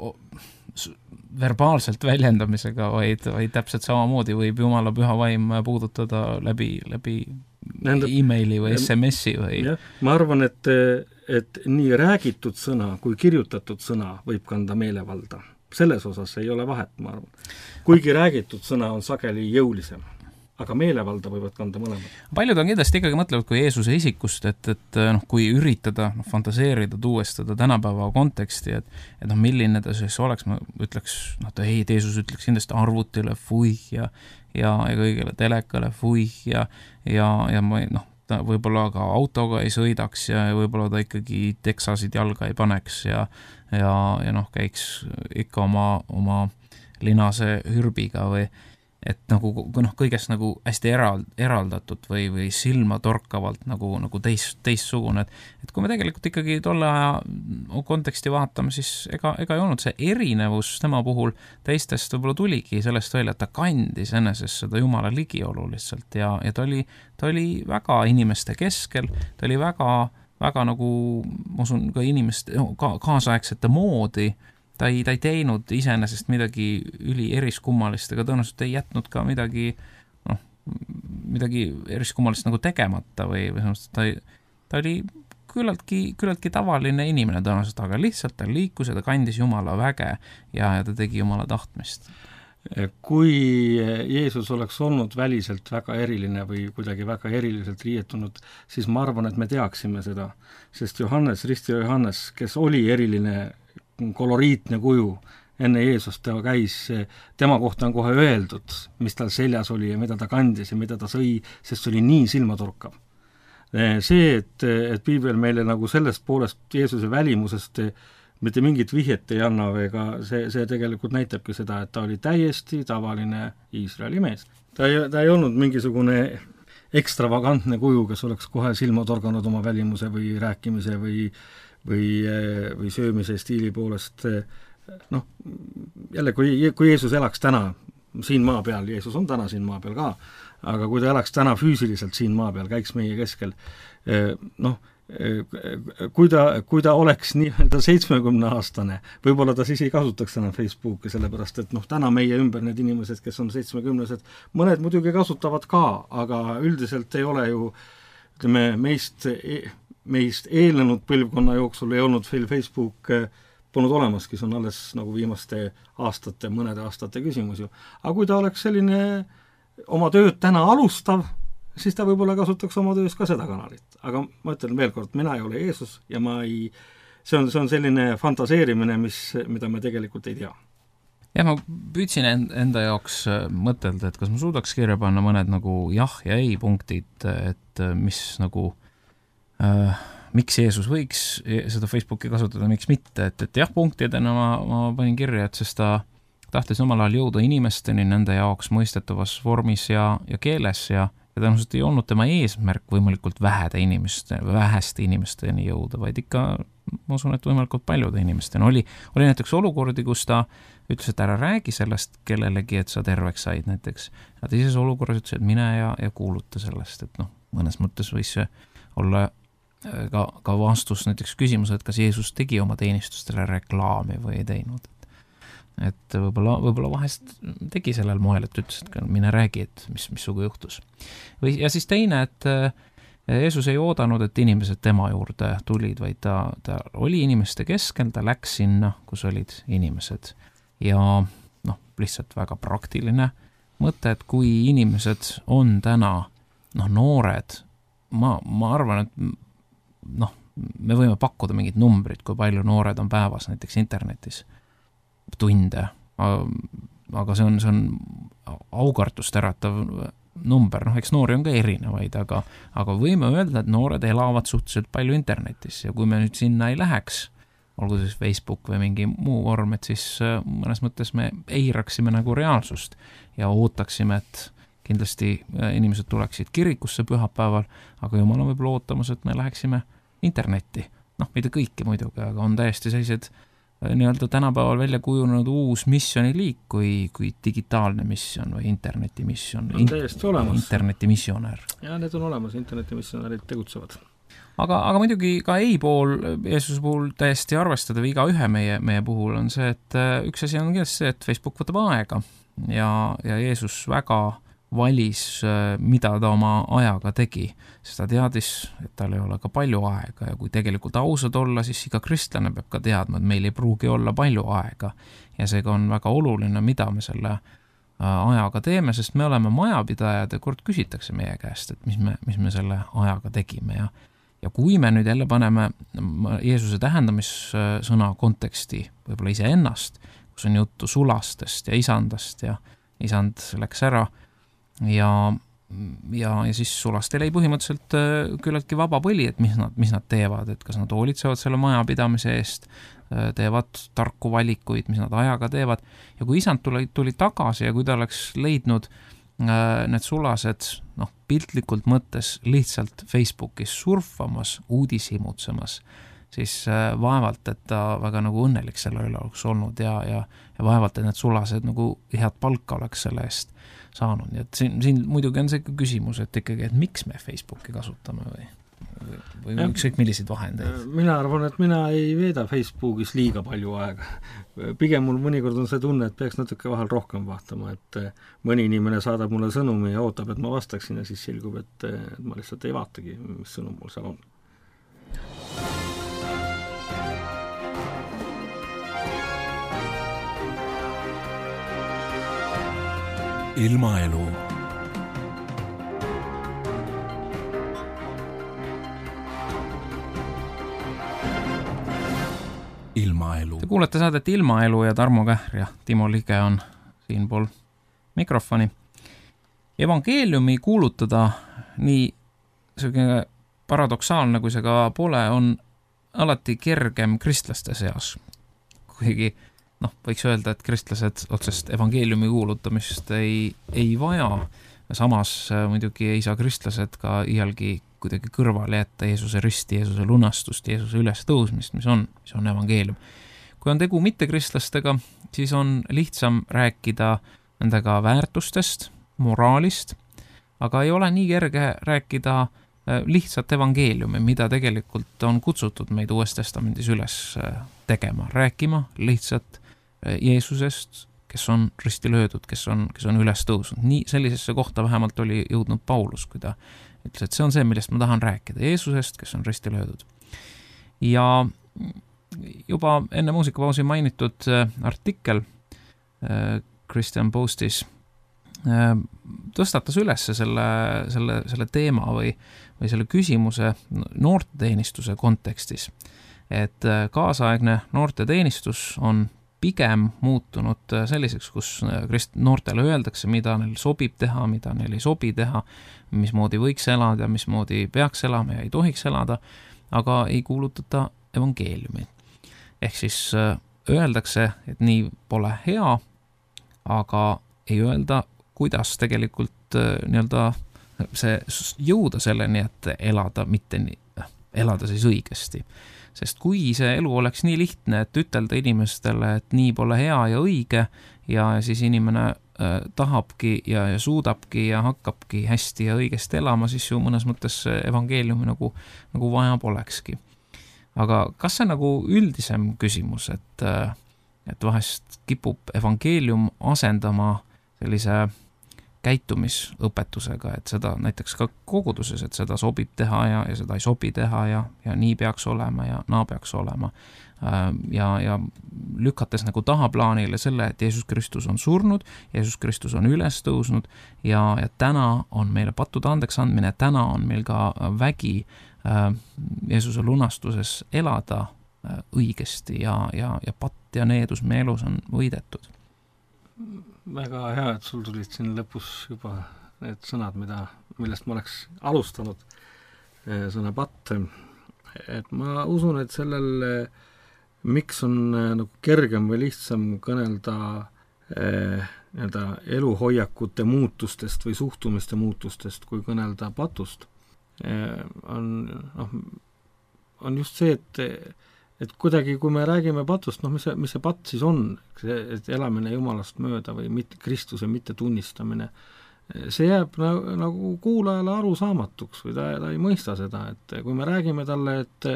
verbaalselt väljendamisega, vaid, vaid täpselt samamoodi võib Jumala püha vaim puudutada läbi, läbi Nende, e-maili või S M S-i või... Ja, ma arvan, et, et nii räägitud sõna kui kirjutatud sõna võib kanda meelevalda. Selles osas ei ole vahet, ma arvan. Kuigi räägitud sõna on sageli jõulisem, aga meelevalda võivad kanda mõlemad. Paljud on kindlasti ikkagi mõtlevad kui Jeesuse isikust, et, et noh, kui üritada no, fantaseerida, tuuestada tänapäeva konteksti, et, et noh, milline ta siis oleks, ma ütleks, noh, ta ei, Jeesus ütleks kindlasti arvutile fuih ja ja, ja kõigele telekale fuih ja, ja, ja ma, noh, ta võib-olla ka autoga ei sõidaks ja võib-olla ta ikkagi teksasid jalga ei paneks ja, ja, ja noh, käiks ikka oma, oma linase hürbiga või et nagu noh, kõigest nagu hästi eral, eraldatud või, või silma torkavalt nagu, nagu teist, teistsugune, et, et kui me tegelikult ikkagi tolle aja konteksti vaatame, siis ega, ega ei olnud see erinevus tema puhul teistest võib-olla tuligi sellest välja, et ta kandis enesest seda Jumala ligiolu lihtsalt ja, ja ta oli, ta oli väga inimeste keskel, ta oli väga, väga nagu, ma usun, ka inimeste ka, kaasaegsete moodi. Ta ei, ta ei teinud iseenesest midagi üli eriskummalist, ega tõenäoliselt ei jätnud ka midagi, noh, midagi eriskummalist nagu tegemata või, või ta, ta oli küllaltki, küllaltki tavaline inimene tõenäoliselt, aga lihtsalt ta liikus ja ta kandis Jumala väge ja, ja ta tegi Jumala tahtmist. Kui Jeesus oleks olnud väliselt väga eriline või kuidagi väga eriliselt riietunud, siis ma arvan, et me teaksime seda, sest Johannes, Ristio Johannes, kes oli eriline koloriitne kuju enne Jeesust, ta käis, tema kohta on kohe öeldud, mis tal seljas oli ja mida ta kandis ja mida ta sõi, sest see oli nii silmatorkav. See, et, et piibel meile nagu sellest poolest Jeesuse välimusest mitte mingit vihjet ei anna, ega see, see tegelikult näitabki seda, et ta oli täiesti tavaline Iisraeli mees. Ta ei, ta ei olnud mingisugune ekstravagantne kuju, kes oleks kohe silma torganud oma välimuse või rääkimise või või, või söömise stiili poolest, noh, jälle, kui, kui Jeesus elaks täna siin maa peal, Jeesus on täna siin maa peal ka, aga kui ta elaks täna füüsiliselt siin maa peal, käiks meie keskel, noh, kui ta, kui ta oleks nii-öelda seitsmekümne aastane, võib-olla ta siis ei kasutaks enam Facebooki, sellepärast et noh, täna meie ümber need inimesed, kes on seitsmekümnesed, mõned muidugi kasutavad ka, aga üldiselt ei ole ju, ütleme, meist meist eelnenud põlvkonna jooksul ei olnud Facebook polnud olemaski, see on alles nagu viimaste aastate, mõnede aastate küsimus ju. Aga kui ta oleks selline oma tööd täna alustav, siis ta võib-olla kasutaks oma töös ka seda kanalit. Aga ma ütlen veel kord, mina ei ole Jeesus ja ma ei, see on, see on selline fantaseerimine, mis, mida me tegelikult ei tea. Ja ma püüdsin enda jaoks mõtelda, et kas ma suudaks kirja panna mõned nagu jah ja ei punktid, et mis nagu Äh, miks Jeesus võiks seda Facebooki kasutada, miks mitte, et, et jah, punktidena ma, ma panin kirja, et sest ta tahtis omal ajal jõuda inimesteni nende jaoks mõistetavas vormis ja, ja keeles ja ja tõenäoliselt ei olnud tema eesmärk võimalikult vähede inimeste, väheste inimesteni jõuda, vaid ikka, ma usun, et võimalikult paljude inimesteni. Oli, oli näiteks olukordi, kus ta ütles, et ära räägi sellest kellelegi, et sa terveks said näiteks. Ja teises olukorras ütles, et mine ja, ja kuuluta sellest, et noh, mõnes mõttes võis see olla ka, ka vastus näiteks küsimus, et kas Jeesus tegi oma teenistustele reklaami või ei teinud. Et võib-olla, võib-olla vahest tegi sellel moel, et ütles, et mine räägi, et mis, mis sugu juhtus. Või, ja siis teine, et Jeesus ei oodanud, et inimesed tema juurde tulid, vaid ta, ta oli inimeste keskel, ta läks sinna, kus olid inimesed. Ja noh, lihtsalt väga praktiline mõte, et kui inimesed on täna noh, noored, ma, ma arvan, et noh, me võime pakkuda mingid numbrid, kui palju noored on päevas näiteks internetis tunde, aga see on, see on aukartust äratav number, noh, eks noori on ka erinevaid, aga, aga võime öelda, et noored elavad suhteliselt palju internetis ja kui me nüüd sinna ei läheks, olgu siis Facebook või mingi muu vorm, et siis mõnes mõttes me eiraksime nagu reaalsust ja ootaksime, et kindlasti inimesed tuleksid kirikusse pühapäeval, aga jumal on võib-olla ootamas, et me läheksime internetti. Noh, mitte kõiki muidugi, aga on täiesti sellised nii-öelda tänapäeval välja kujunenud uus missioniliik kui, kui digitaalne missioon või internetimissioon. On täiesti olemas. Internetimissionär. Ja need on olemas, internetimissionärid tegutsevad. Aga, aga muidugi ka ei pool Jeesuse puhul täiesti arvestada või iga ühe meie, meie puhul on see, et üks asi on kindlasti see, et Facebook võtab aega ja, ja Jeesus väga valis, mida ta oma ajaga tegi, sest ta teadis, et tal ei ole ka palju aega ja kui tegelikult ausad olla, siis iga kristlane peab ka teadma, et meil ei pruugi olla palju aega ja seega on väga oluline, mida me selle ajaga teeme, sest me oleme majapidajad ja kord küsitakse meie käest, et mis me, mis me selle ajaga tegime ja ja kui me nüüd jälle paneme Jeesuse tähendamissõna konteksti, võib-olla ise ennast, kus on juttu sulastest ja isandast ja isand läks ära ja, ja, ja siis sulastel ei põhimõtteliselt küllaltki vaba põli, et mis nad, mis nad teevad, et kas nad hoolitsevad selle majapidamise eest, teevad tarku valikuid, mis nad ajaga teevad ja kui isand tuli, tuli tagasi ja kui ta oleks leidnud need sulased noh, piltlikult mõttes lihtsalt Facebookis surfamas, uudishimutsemas, siis vaevalt, et ta väga nagu õnnelik selle üle oleks olnud ja, ja, ja vaevalt, et need sulased nagu head palka oleks selle eest saanud. Nii et siin, siin muidugi on see küsimus, et ikkagi, et miks me Facebooki kasutame või, või, või ükskõik milliseid vahendeid? Mina arvan, et mina ei veeda Facebookis liiga palju aega. Pigem mul mõnikord on see tunne, et peaks natuke vahel rohkem vaatama, et mõni inimene saadab mulle sõnumi ja ootab, et ma vastaksin ja siis selgub, et ma lihtsalt ei vaatagi, mis sõnum mul seal on. Ilmaelu. Ilmaelu. Te kuulete saadet Ilmaelu ja Tarmo Kähr ja Timo Lige on siinpool mikrofoni. Evangeeliumi kuulutada nii selline paradoksaalne, kui see ka pole, on alati kergem kristlaste seas. Kuigi noh, võiks öelda, et kristlased otsest evangeeliumi kuulutamist ei, ei vaja. Samas muidugi ei saa kristlased ka iialgi kuidagi kõrvale jätta Jeesuse risti, Jeesuse lunastust, Jeesuse üles tõusmist, mis on, mis on evangeelium. Kui on tegu mittekristlastega, siis on lihtsam rääkida nendega väärtustest, moraalist, aga ei ole nii kerge rääkida lihtsalt evangeeliumi, mida tegelikult on kutsutud meid Uues Testamendis üles tegema, rääkima lihtsalt Jeesusest, kes on risti löödud, kes on, kes on üles tõusnud. Nii sellisesse kohta vähemalt oli jõudnud Paulus, kui ta ütles, et see on see, millest ma tahan rääkida, Jeesusest, kes on risti löödud. Ja juba enne muusikapausi mainitud artikkel Christian Postis tõstatas üles selle, selle, selle teema või, või selle küsimuse noorteteenistuse kontekstis, et kaasaegne noorteteenistus on pigem muutunud selliseks, kus noortele öeldakse, mida neil sobib teha, mida neil ei sobi teha, mismoodi võiks elada, mismoodi peaks elama ja ei tohiks elada. aga ei kuulutata evangeeliumi. Ehk siis öeldakse, et nii pole hea, aga ei öelda, kuidas tegelikult nii-öelda see jõuda selleni, et elada, mitte nii, elada siis õigesti. Sest kui see elu oleks nii lihtne, et ütelda inimestele, et nii pole hea ja õige ja siis inimene äh, tahabki ja, ja suudabki ja hakkabki hästi ja õigesti elama, siis ju mõnes mõttes evangeeliumi nagu, nagu vaja polekski. Aga kas see nagu üldisem küsimus, et, et vahest kipub evangeelium asendama sellise käitumisõpetusega, et seda näiteks ka koguduses, et seda sobib teha ja, ja seda ei sobi teha ja, ja nii peaks olema ja naa peaks olema. Ja, ja lükates nagu tahaplaanile selle, et Jeesus Kristus on surnud, Jeesus Kristus on üles tõusnud ja, ja täna on meile pattude andeks andmine, täna on meil ka vägi Jeesuse lunastuses elada õigesti ja, ja, ja patt ja needus meie elus on võidetud. Väga hea, et sul tulid siin lõpus juba need sõnad, mida, millest ma oleks alustanud, sõna patt. Et ma usun, et sellel, miks on nagu kergem või lihtsam kõnelda eh, eluhoiakute muutustest või suhtumiste muutustest, kui kõnelda patust, eh, on, noh, on just see, et et kuidagi, kui me räägime patust, noh, mis see, mis see patt siis on, et elamine Jumalast mööda või mitte, Kristuse mitte tunnistamine, see jääb nagu, nagu kuulajale arusaamatuks või ta, ta ei mõista seda, et kui me räägime talle, et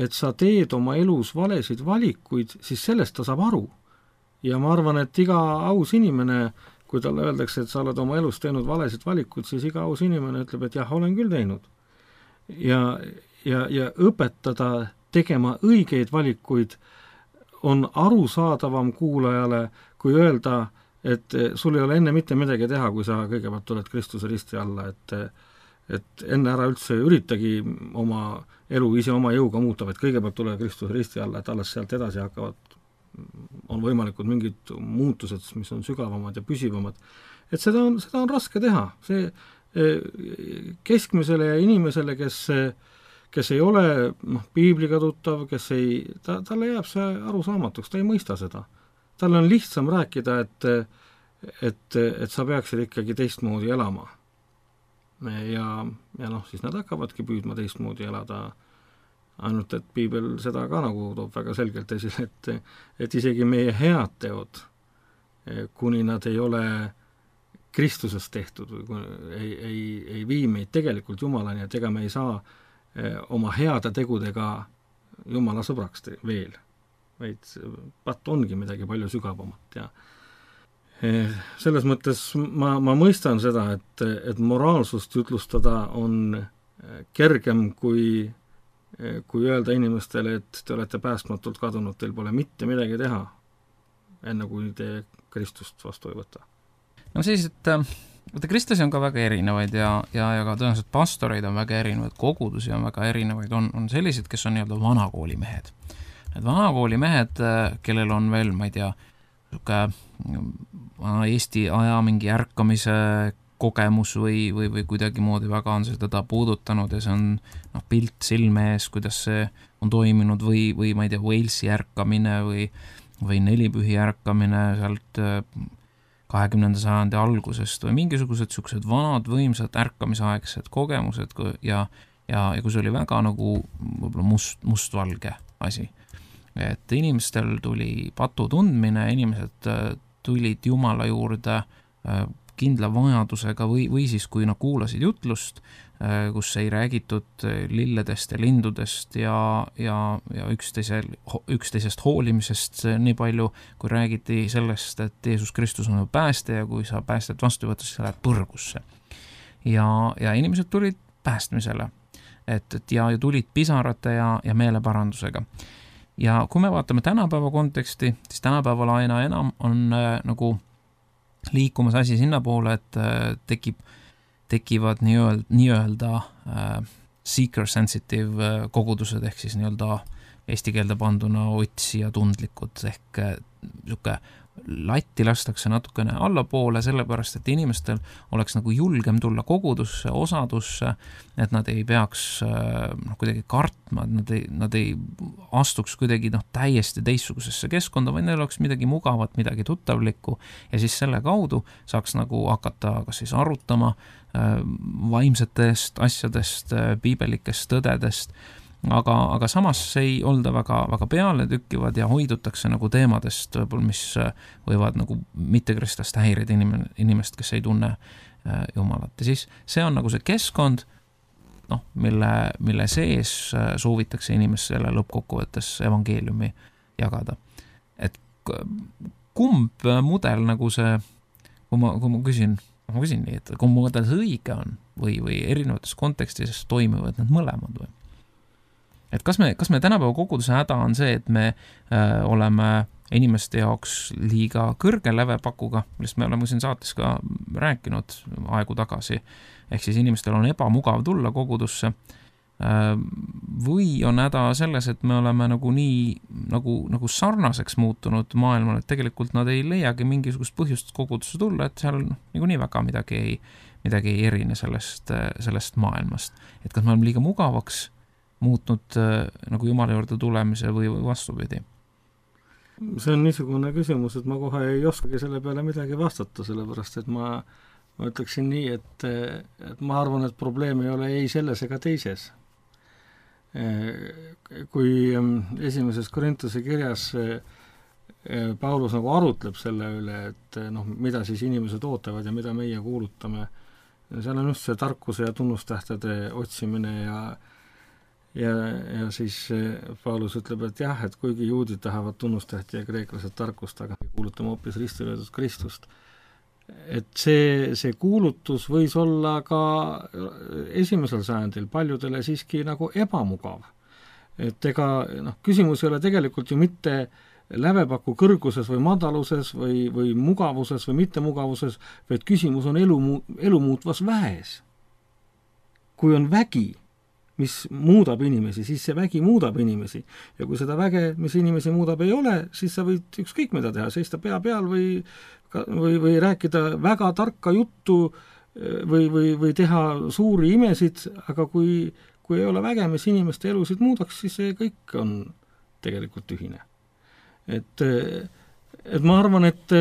et sa teed oma elus valesid valikuid, siis sellest ta saab aru. Ja ma arvan, et iga aus inimene, kui talle öeldakse, et sa oled oma elus teinud valesid valikuid, siis iga aus inimene ütleb, et jah, olen küll teinud. Ja, ja, ja õpetada tegema õigeid valikuid on arusaadavam kuulajale, kui öelda, et sul ei ole enne mitte midagi teha, kui sa kõigepealt tuled Kristuse risti alla, et, et enne ära üldse üritagi oma elu ise oma jõuga muuta, et kõigepealt tule Kristuse risti alla, et alles sealt edasi hakkavad, on võimalikud mingid muutused, mis on sügavamad ja püsivamad. Et seda on, seda on raske teha. See keskmisele ja inimesele, kes kes ei ole noh, piibliga tuttav, kes ei, ta, talle jääb see arusaamatuks, ta ei mõista seda. Talle on lihtsam rääkida, et, et, et sa peaksid ikkagi teistmoodi elama. Ja, ja noh, siis nad hakkavadki püüdma teistmoodi elada, ainult et piibel seda ka nagu toob väga selgelt esile, et, et isegi meie head teod, kuni nad ei ole Kristusest tehtud või ei, ei, ei vii meid tegelikult Jumalani, et ega me ei saa oma heade tegudega Jumala sõbraks te- veel, vaid patt ongi midagi palju sügavamat ja selles mõttes ma, ma mõistan seda, et, et moraalsust jutlustada on kergem kui, kui öelda inimestele, et te olete päästmatult kadunud, teil pole mitte midagi teha, enne kui te Kristust vastu ei võta. No siis, et Võtta kristlasi on ka väga erinevaid ja, ja, ja ka tõenäoliselt pastoreid on väga erinevaid, kogudusi on väga erinevaid, on, on sellised, kes on nii-öelda vanakooli mehed. Need vanakooli mehed, kellel on veel, ma ei tea, Eesti aja mingi ärkamise kogemus või, või, või kuidagi moodi väga on seda puudutanud ja see on noh, pilt silme ees, kuidas see on toiminud või, või ma ei tea, Walesi ärkamine või, või nelipühi ärkamine sealt kahekümnenda sajandi algusest või mingisugused siuksed vanad võimsad ärkamisaegsed kogemused ja, ja, ja kui see oli väga nagu võib-olla must, mustvalge asi. Et inimestel tuli patu tundmine, inimesed tulid Jumala juurde kindla vajadusega või, või siis kui nad kuulasid jutlust, kus ei räägitud lilledest ja lindudest ja, ja, ja üksteise, üksteisest hoolimisest nii palju, kui räägiti sellest, et Jeesus Kristus on pääste ja kui sa päästet vastu võtta, siis sa lähed põrgusse. Ja, ja inimesed tulid päästmisele, et, et ja, ja tulid pisarate ja, ja meeleparandusega. Ja kui me vaatame tänapäeva konteksti, siis tänapäeval aina enam on äh, nagu liikumas asi sinna poole, et äh, tekib, tekivad nii-öelda, nii-öelda äh, seeker-sensitive äh, kogudused, ehk siis nii-öelda eesti keelde panduna otsija tundlikud, ehk äh, niisugune latti lastakse natukene allapoole, sellepärast, et inimestel oleks nagu julgem tulla kogudusse, osadusse, et nad ei peaks noh, kuidagi kartma, et nad ei, nad ei astuks kuidagi noh, täiesti teistsugusesse keskkonda, vaid neil oleks midagi mugavat, midagi tuttavlikku ja siis selle kaudu saaks nagu hakata kas siis arutama vaimsetest asjadest, piibelikest tõdedest, aga, aga samas ei olda väga, väga peale tükkivad ja hoidutakse nagu teemadest, mis võivad nagu mittekristlaste häirida inimene, inimest, kes ei tunne Jumalat. Ja siis see on nagu see keskkond, noh, mille, mille sees soovitakse inimesele lõppkokkuvõttes evangeeliumi jagada. Et kumb mudel nagu see, kui ma, kui ma küsin, ma küsin nii, et kumb mudel see õige on või, või erinevates kontekstis toimivad need mõlemad või? Et kas me, kas me tänapäeva koguduse häda on see, et me äh, oleme inimeste jaoks liiga kõrge lävepakuga, millest me oleme siin saates ka rääkinud aegu tagasi, ehk siis inimestel on ebamugav tulla kogudusse, äh, või on häda selles, et me oleme nagu nii nagu, nagu sarnaseks muutunud maailmale, et tegelikult nad ei leiagi mingisugust põhjust kogudusse tulla, et seal nagu nii väga midagi ei, midagi ei erine sellest, sellest maailmast. Et kas me oleme liiga mugavaks muutnud äh, nagu Jumala juurde tulemise või vastupidi? See on niisugune küsimus, et ma kohe ei oskagi selle peale midagi vastata, sellepärast et ma, ma ütleksin nii, et, et ma arvan, et probleem ei ole ei selles ega teises. Kui esimeses Korintuse kirjas Paulus nagu arutleb selle üle, et noh, mida siis inimesed ootavad ja mida meie kuulutame, seal on just see tarkuse ja tunnustähtede otsimine ja Ja, ja siis Paulus ütleb, et jah, et kuigi juudid tahavad tunnustähti ja kreeklased tarkust, aga kuulutame hoopis risti löödud Kristust. Et see, see kuulutus võis olla ka esimesel sajandil paljudele siiski nagu ebamugav. Et ega noh, küsimus ei ole tegelikult ju mitte lävepaku kõrguses või madaluses või, või mugavuses või mittemugavuses, vaid küsimus on elu, elu muutvas väes. Kui on vägi, mis muudab inimesi, siis see vägi muudab inimesi. Ja kui seda väge, mis inimesi muudab, ei ole, siis sa võid ükskõik mida teha, seista pea peal või, või, või rääkida väga tarka juttu või, või, või teha suuri imesid, aga kui, kui ei ole väge, mis inimeste elusid muudaks, siis see kõik on tegelikult tühine. Et, et ma arvan, et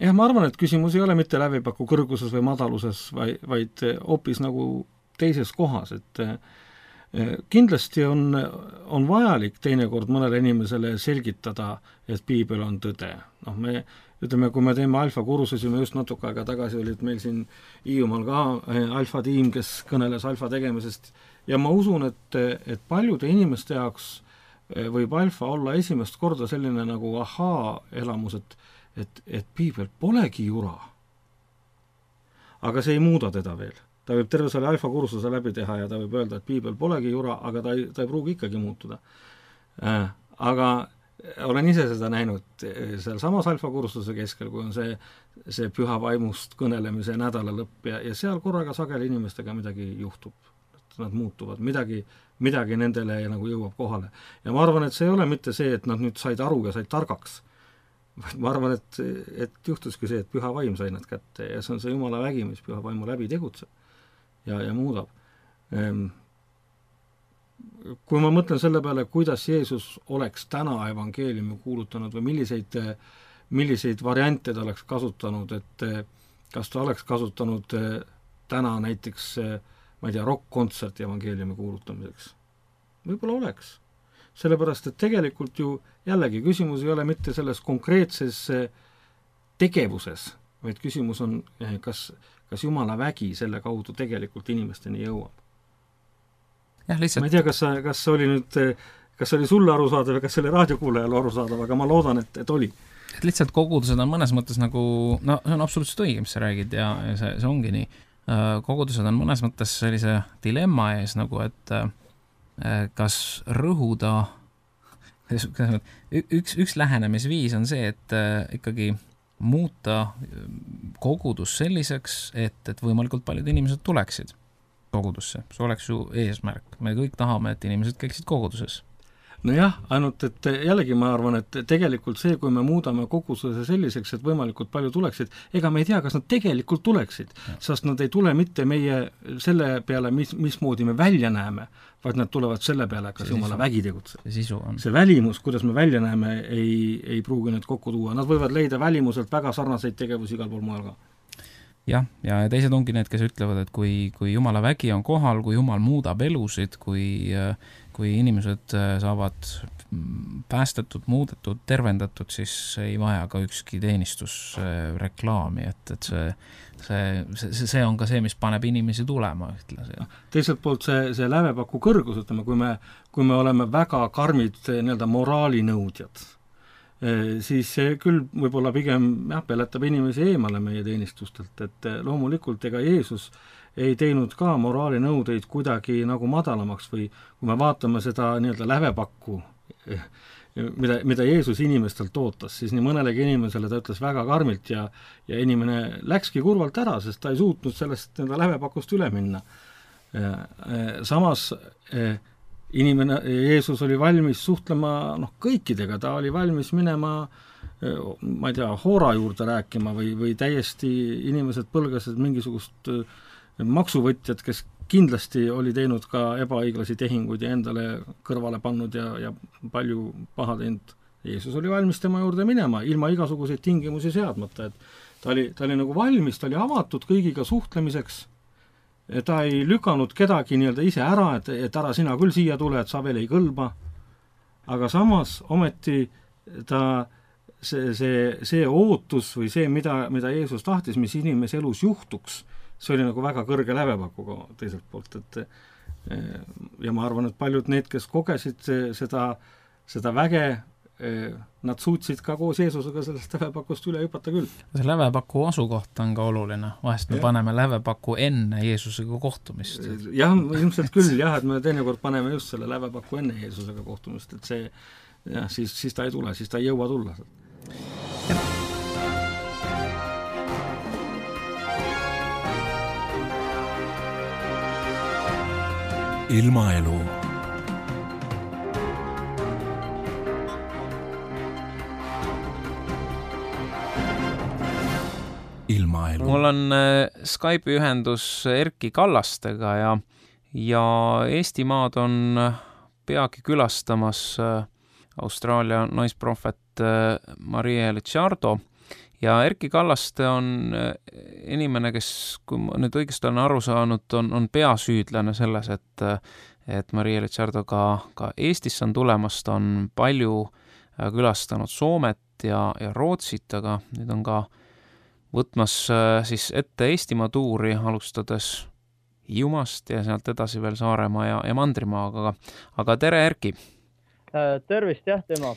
jah, ma arvan, et küsimus ei ole mitte lävepaku kõrguses või madaluses, vaid, vaid hoopis nagu teises kohas, et kindlasti on, on vajalik teinekord mõnele inimesele selgitada, et piibel on tõde. Noh, me ütleme, kui me teeme alfa kursusi, me just natuke aega tagasi olid meil siin Hiiumaal ka alfa tiim, kes kõneles alfa tegemisest ja ma usun, et, et paljude inimeste jaoks võib alfa olla esimest korda selline nagu ahaa elamus, et, et, et piibel polegi jura. Aga see ei muuda teda veel. Ta võib terve selle alfa kursuse läbi teha ja ta võib öelda, et piibel polegi jura, aga ta ei, ta ei pruugi ikkagi muutuda. Äh, aga olen ise seda näinud seal samas alfa kursuse keskel, kui on see, see püha vaimust kõnelemise nädala lõpp ja, ja seal korraga sageli inimestega midagi juhtub. Nad muutuvad, midagi, midagi nendele nagu jõuab kohale. Ja ma arvan, et see ei ole mitte see, et nad nüüd said aru ja said targaks. Ma arvan, et, et juhtuski see, et püha vaim sai nad kätte ja see on see Jumala vägi, mis püha vaimu läbi tegutseb. Ja, ja muudab. Kui ma mõtlen selle peale, kuidas Jeesus oleks täna evangeeliumi kuulutanud või milliseid, milliseid variante ta oleks kasutanud, et kas ta oleks kasutanud täna näiteks, ma ei tea, rock-kontserti evangeeliumi kuulutamiseks. Võib-olla oleks. Sellepärast, et tegelikult ju jällegi küsimus ei ole mitte selles konkreetses tegevuses, vaid küsimus on, kas kas Jumala vägi selle kaudu tegelikult inimesteni jõuab. Jah, lihtsalt... Ma ei tea, kas, kas oli nüüd, kas oli sulle arusaadav või kas oli raadiokuulajale arusaadav, aga ma loodan, et, et oli. Et lihtsalt kogudused on mõnes mõttes nagu, no see on absoluutselt õige, mis sa räägid ja, ja see, see ongi nii. Kogudused on mõnes mõttes sellise dilemma ees nagu, et kas rõhuda, üks, üks lähenemisviis on see, et ikkagi muuta kogudus selliseks, et, et võimalikult paljud inimesed tuleksid kogudusse. See oleks ju eesmärk. Me kõik tahame, et inimesed käiksid koguduses. nojah, ainult et jällegi ma arvan, et tegelikult see, kui me muudame kogususe selliseks, et võimalikult palju tuleksid, ega me ei tea, kas nad tegelikult tuleksid, sest nad ei tule mitte meie selle peale, mis, mismoodi me välja näeme, vaid nad tulevad selle peale, kas Jumala vägi tegutseb. See sisu on. See välimus, kuidas me välja näeme, ei, ei pruugi need kokku tuua. Nad võivad leida välimuselt väga sarnaseid tegevusi igal pool mujal ka. Jah, ja teised ongi need, kes ütlevad, et kui, kui Jumala vägi on kohal, kui Jumal muudab elusid, kui, kui inimesed saavad päästetud, muudetud, tervendatud, siis ei vaja ka ükski teenistus reklaami, et, et see, see, see, see on ka see, mis paneb inimesi tulema ühtlasi. Teiselt poolt see, see lävepaku kõrgus, ütleme, kui me, kui me oleme väga karmid nii-öelda moraalinõudjad, siis see küll võib-olla pigem jah, peletab inimesi eemale meie teenistustelt, et loomulikult ega Jeesus ei teinud ka moraalinõudeid kuidagi nagu madalamaks või kui me vaatame seda nii-öelda lävepakku, mida, mida Jeesus inimestelt ootas, siis nii mõnelegi inimesele ta ütles väga karmilt ja, ja inimene läkski kurvalt ära, sest ta ei suutnud sellest nii-öelda lävepakust üle minna. Samas inimene, Jeesus oli valmis suhtlema noh, kõikidega, ta oli valmis minema ma ei tea, hoora juurde rääkima või, või täiesti inimesed põlgasid mingisugust maksuvõtjad, kes kindlasti oli teinud ka ebaõiglasi tehinguid ja endale kõrvale pannud ja, ja palju paha teinud. Jeesus oli valmis tema juurde minema, ilma igasuguseid tingimusi seadmata, et ta oli, ta oli nagu valmis, ta oli avatud kõigiga suhtlemiseks, ta ei lükanud kedagi nii-öelda ise ära, et, et ära sina küll siia tule, et sa veel ei kõlba, aga samas ometi ta see, see, see ootus või see, mida, mida Jeesus tahtis, mis inimese elus juhtuks, see oli nagu väga kõrge lävepakuga teiselt poolt, et ja ma arvan, et paljud need, kes kogesid seda, seda väge, nad suutsid ka koos Jeesusega sellest lävepakust üle hüpata küll. See lävepaku asukoht on ka oluline. Vahest me ja. paneme lävepaku enne Jeesusega kohtumist. Jah, ilmselt küll jah, et me teinekord paneme just selle lävepaku enne Jeesusega kohtumist, et see, jah, siis, siis ta ei tule, siis ta ei jõua tulla. Ilmaelu. Ilmaelu. Mul on Skype'i ühendus Erki Kallastega ja, ja Eestimaad on peagi külastamas Austraalia naisprohvet Maria Licciardo ja Erki Kallaste on inimene, kes, kui ma nüüd õigesti olen aru saanud, on, on peasüüdlane selles, et, et Maria Licciardo ka, ka Eestisse on tulemas, ta on palju külastanud Soomet ja, ja Rootsit, aga nüüd on ka võtmas siis ette Eestimaa tuuri, alustades Hiiumaast ja sealt edasi veel Saaremaa ja, ja Mandrimaaga. Aga tere, Erki! Tervist, jah, tema!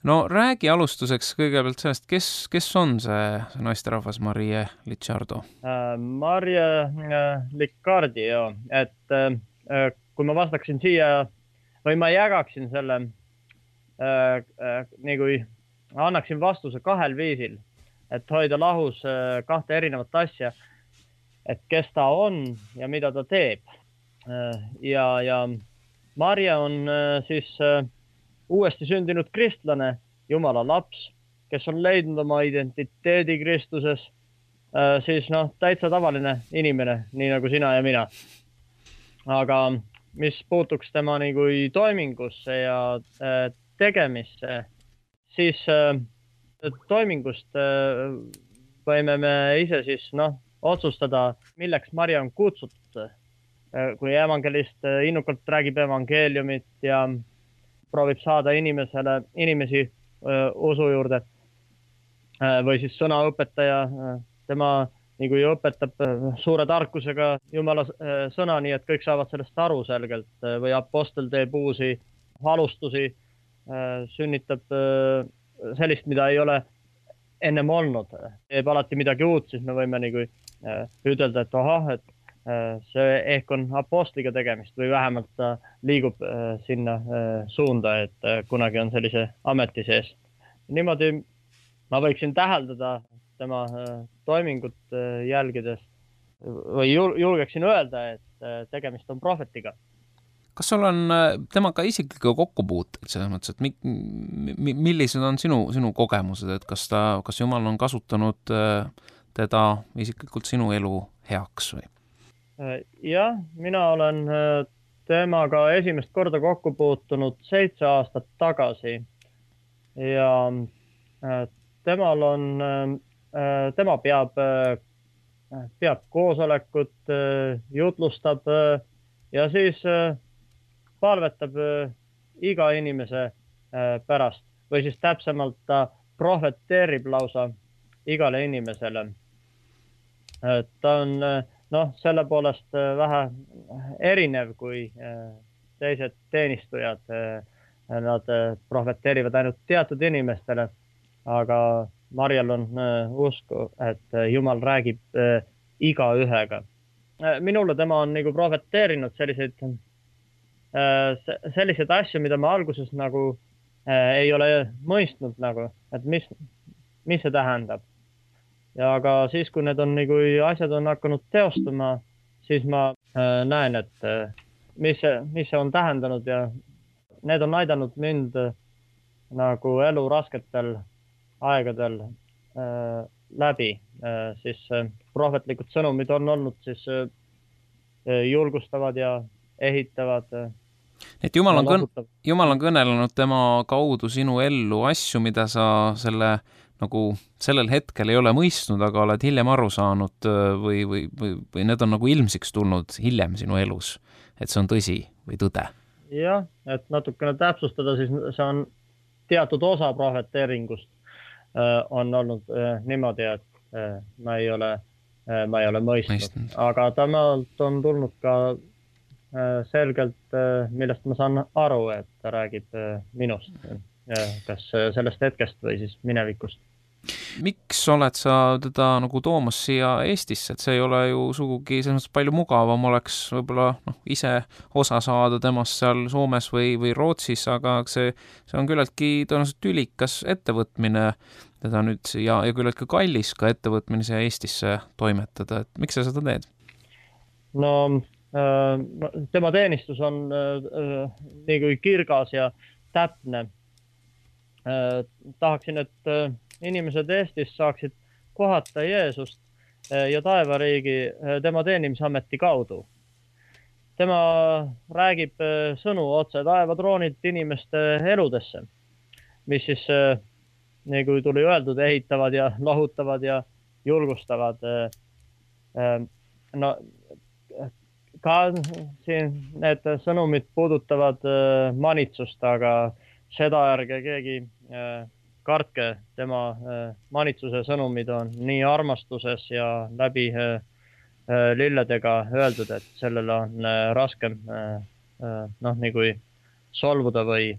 No räägi alustuseks kõigepealt sellest, kes, kes on see, see naisterahvas Maria Licciardo? Maria Licciardi, joo. Et kui ma vastaksin siia, või ma jagaksin selle, nii kui annaksin vastuse kahel viisil, et hoida lahus kahte erinevat asja, et kes ta on ja mida ta teeb. Ja, ja Maria on siis uuesti sündinud kristlane, Jumala laps, kes on leidnud oma identiteedi Kristuses, siis noh, täitsa tavaline inimene, nii nagu sina ja mina. Aga mis puutuks tema nii kui toimingusse ja tegemisse, siis toimingust võime me ise siis noh, otsustada, milleks Maria on kutsutud. Kui evangelist innukalt räägib evangeeliumit ja proovib saada inimesele, inimesi öö, usu juurde või siis sõnaõpetaja, tema nii kui õpetab suure tarkusega Jumala sõna, nii et kõik saavad sellest aru selgelt või apostel teeb uusi alustusi, sünnitab sellist, mida ei ole ennem olnud. Teeb alati midagi uut, siis me võime nii kui ütelda, et ohah, et see ehk on apostliga tegemist või vähemalt ta liigub sinna suunda, et kunagi on sellise ameti sees. Niimoodi ma võiksin täheldada tema toimingut jälgides või julgeksin öelda, et tegemist on prohvetiga. Kas sul on temaga isikliku kokkupuuteid selles mõttes, et mi, mi, millised on sinu, sinu kogemused, et kas ta, kas Jumal on kasutanud teda isiklikult sinu elu heaks või? Jah, mina olen temaga esimest korda kokku puutunud seitse aastat tagasi ja temal on, tema peab, peab koosolekut, jutlustab ja siis palvetab iga inimese pärast või siis täpsemalt ta prohveteerib lausa igale inimesele. Ta on noh, selle poolest vähe erinev kui teised teenistujad. Nad prohveteerivad ainult teatud inimestele, aga Marjal on usku, et Jumal räägib iga ühega. Minule tema on nagu prohveteerinud selliseid selliseid asju, mida ma alguses nagu äh, ei ole mõistnud nagu, et mis, mis see tähendab. Ja aga siis, kui need on nagu asjad on hakanud teostuma, siis ma äh, näen, et äh, mis, see, mis see on tähendanud ja need on aidanud mind äh, nagu elu rasketel aegadel äh, läbi. Äh, siis äh, prohvetlikud sõnumid on olnud siis äh, julgustavad ja ehitavad äh, et Jumal on, kõn, Jumal on kõnelenud tema kaudu sinu ellu asju, mida sa selle, nagu sellel hetkel ei ole mõistnud, aga oled hiljem aru saanud või, või, või, või need on nagu ilmsiks tulnud hiljem sinu elus, et see on tõsi või tõde. Jah, et natukene täpsustada, siis see on teatud osa prohveteeringust on olnud niimoodi, et ma ei ole, ma ei ole mõistnud, mõistnud. Aga temalt on tulnud ka selgelt, millest ma saan aru, et ta räägib minust, kas sellest hetkest või siis minevikust. Miks oled sa teda nagu toomas siia Eestisse, et see ei ole ju sugugi selles mõttes palju mugavam oleks võib-olla noh, ise osa saada temast seal Soomes või, või Rootsis, aga see, see on küllaltki tõenäoliselt tülikas ettevõtmine teda nüüd ja, ja küllaltki kallis ka ettevõtmine siia Eestisse toimetada, et miks sa seda teed? No tema teenistus on nii kui kirgas ja täpne. Tahaksin, et inimesed Eestis saaksid kohata Jeesust ja taevariigi tema teenimisameti kaudu. Tema räägib sõnu otse taevatroonid inimeste eludesse, mis siis, nii kui tuli öeldud, ehitavad ja lohutavad ja julgustavad. No, ka siin need sõnumid puudutavad manitsust, aga seda ärge keegi kartke. Tema manitsuse sõnumid on nii armastuses ja läbi lilledega öeldud, et sellele on raskem noh, nii kui solvuda või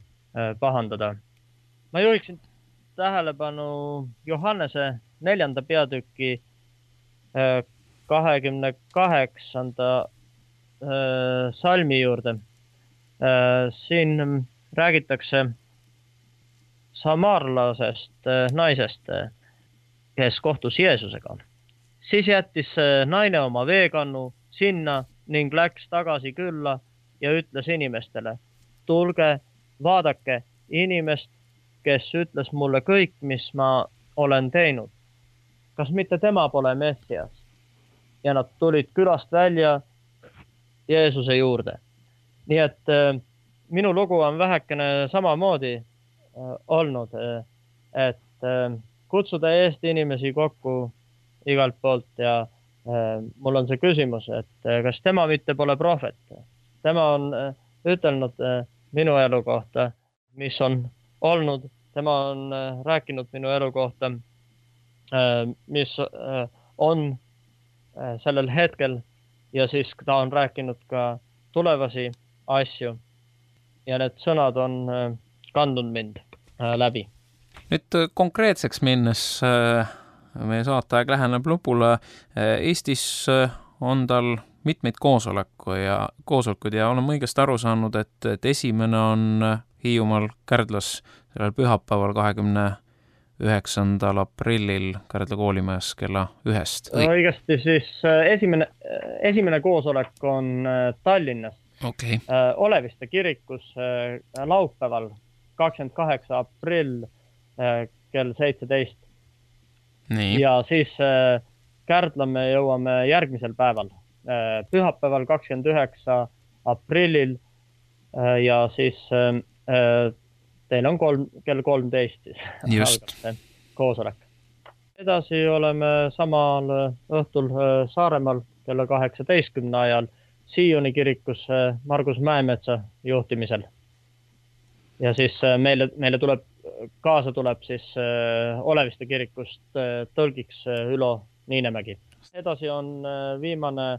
pahandada. Ma juhiksin tähelepanu Johannese neljanda peatüki kahekümne kaheksanda salmi juurde. Siin räägitakse samaarlasest naisest, kes kohtus Jeesusega. Siis jättis naine oma veekannu sinna ning läks tagasi külla ja ütles inimestele, tulge, vaadake inimest, kes ütles mulle kõik, mis ma olen teinud. Kas mitte tema pole Messias? Ja nad tulid külast välja Jeesuse juurde. Nii et äh, minu lugu on vähekene samamoodi äh, olnud, äh, et äh, kutsuda Eesti inimesi kokku igalt poolt ja äh, mul on see küsimus, et äh, kas tema mitte pole prohvet. Tema on äh, ütelnud äh, minu elu kohta, mis on olnud. Tema on äh, rääkinud minu elu kohta, äh, mis äh, on äh, sellel hetkel. Ja siis ta on rääkinud ka tulevasi asju ja need sõnad on kandnud mind läbi. Nüüd konkreetseks minnes meie saateaeg läheneb lõpule. Eestis on tal mitmeid koosoleku ja, koosolekuid ja olen õigesti aru saanud, et, et esimene on Hiiumaal Kärdlas sellel pühapäeval kahekümne üheksandal aprillil Kärdla koolimajas kella ühest. Õigesti, siis esimene, esimene koosolek on Tallinnas. okay. Oleviste kirikus laupäeval kakskümmend kaheksa aprill kell seitseteist. Nii. Ja siis Kärdla me jõuame järgmisel päeval, pühapäeval kakskümmend üheksa aprillil ja siis teil on kolm, kell kolmteist siis. Just. Koosolek. Edasi oleme samal õhtul Saaremaal kella kaheksateistkümne ajal Sioni kirikus Margus Mäemetsa juhtimisel. Ja siis meile, meile tuleb, kaasa tuleb siis Oleviste kirikust tõlgiks Ülo Niinemägi. Edasi on viimane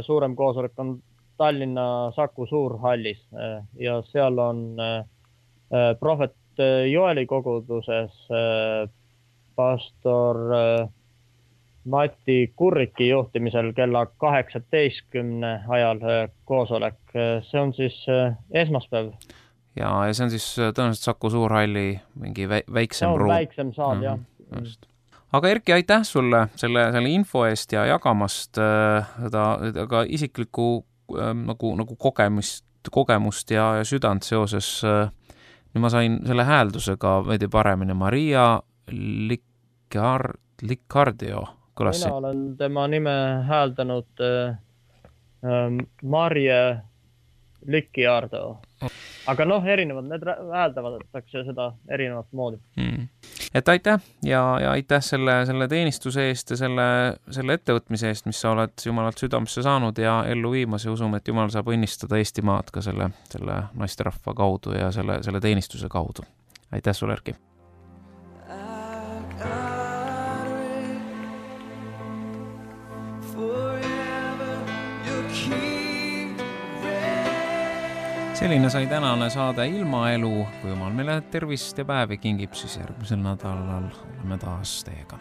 suurem koosolek on Tallinna Saku Suurhallis ja seal on prohvet Joeli koguduses pastor Mati Kurriki juhtimisel kella kaheksateistkümne ajal koosolek. See on siis esmaspäev. Ja, ja see on siis tõenäoliselt Saku Suurhalli mingi väiksem ruum. No, väiksem saal, jah. Mm, just. Aga Erki, aitäh sulle selle, selle info eest ja jagamast seda, ka isiklikku nagu, nagu kogemust, kogemust ja, ja südant seoses. Nüüd ma sain selle hääldusega veidi paremini. Maria Licard, Licardio kõlas. Mina olen tema nime hääldanud äh, Marje Licardio. Aga noh, erinevad, need hääldavatakse seda erinevat moodi. Mm. Et aitäh ja, ja aitäh selle, selle teenistuse eest ja selle, selle ettevõtmise eest, mis sa oled Jumalalt südamesse saanud ja ellu viimas ja usume, et Jumal saab õnnistada Eestimaad ka selle, selle naisterahva kaudu ja selle, selle teenistuse kaudu. Aitäh sulle, Erki! Selline sai tänane saade Ilmaelu. Kui Jumal meile tervist ja päevi kingib, siis järgmisel nädalal oleme taas teiega.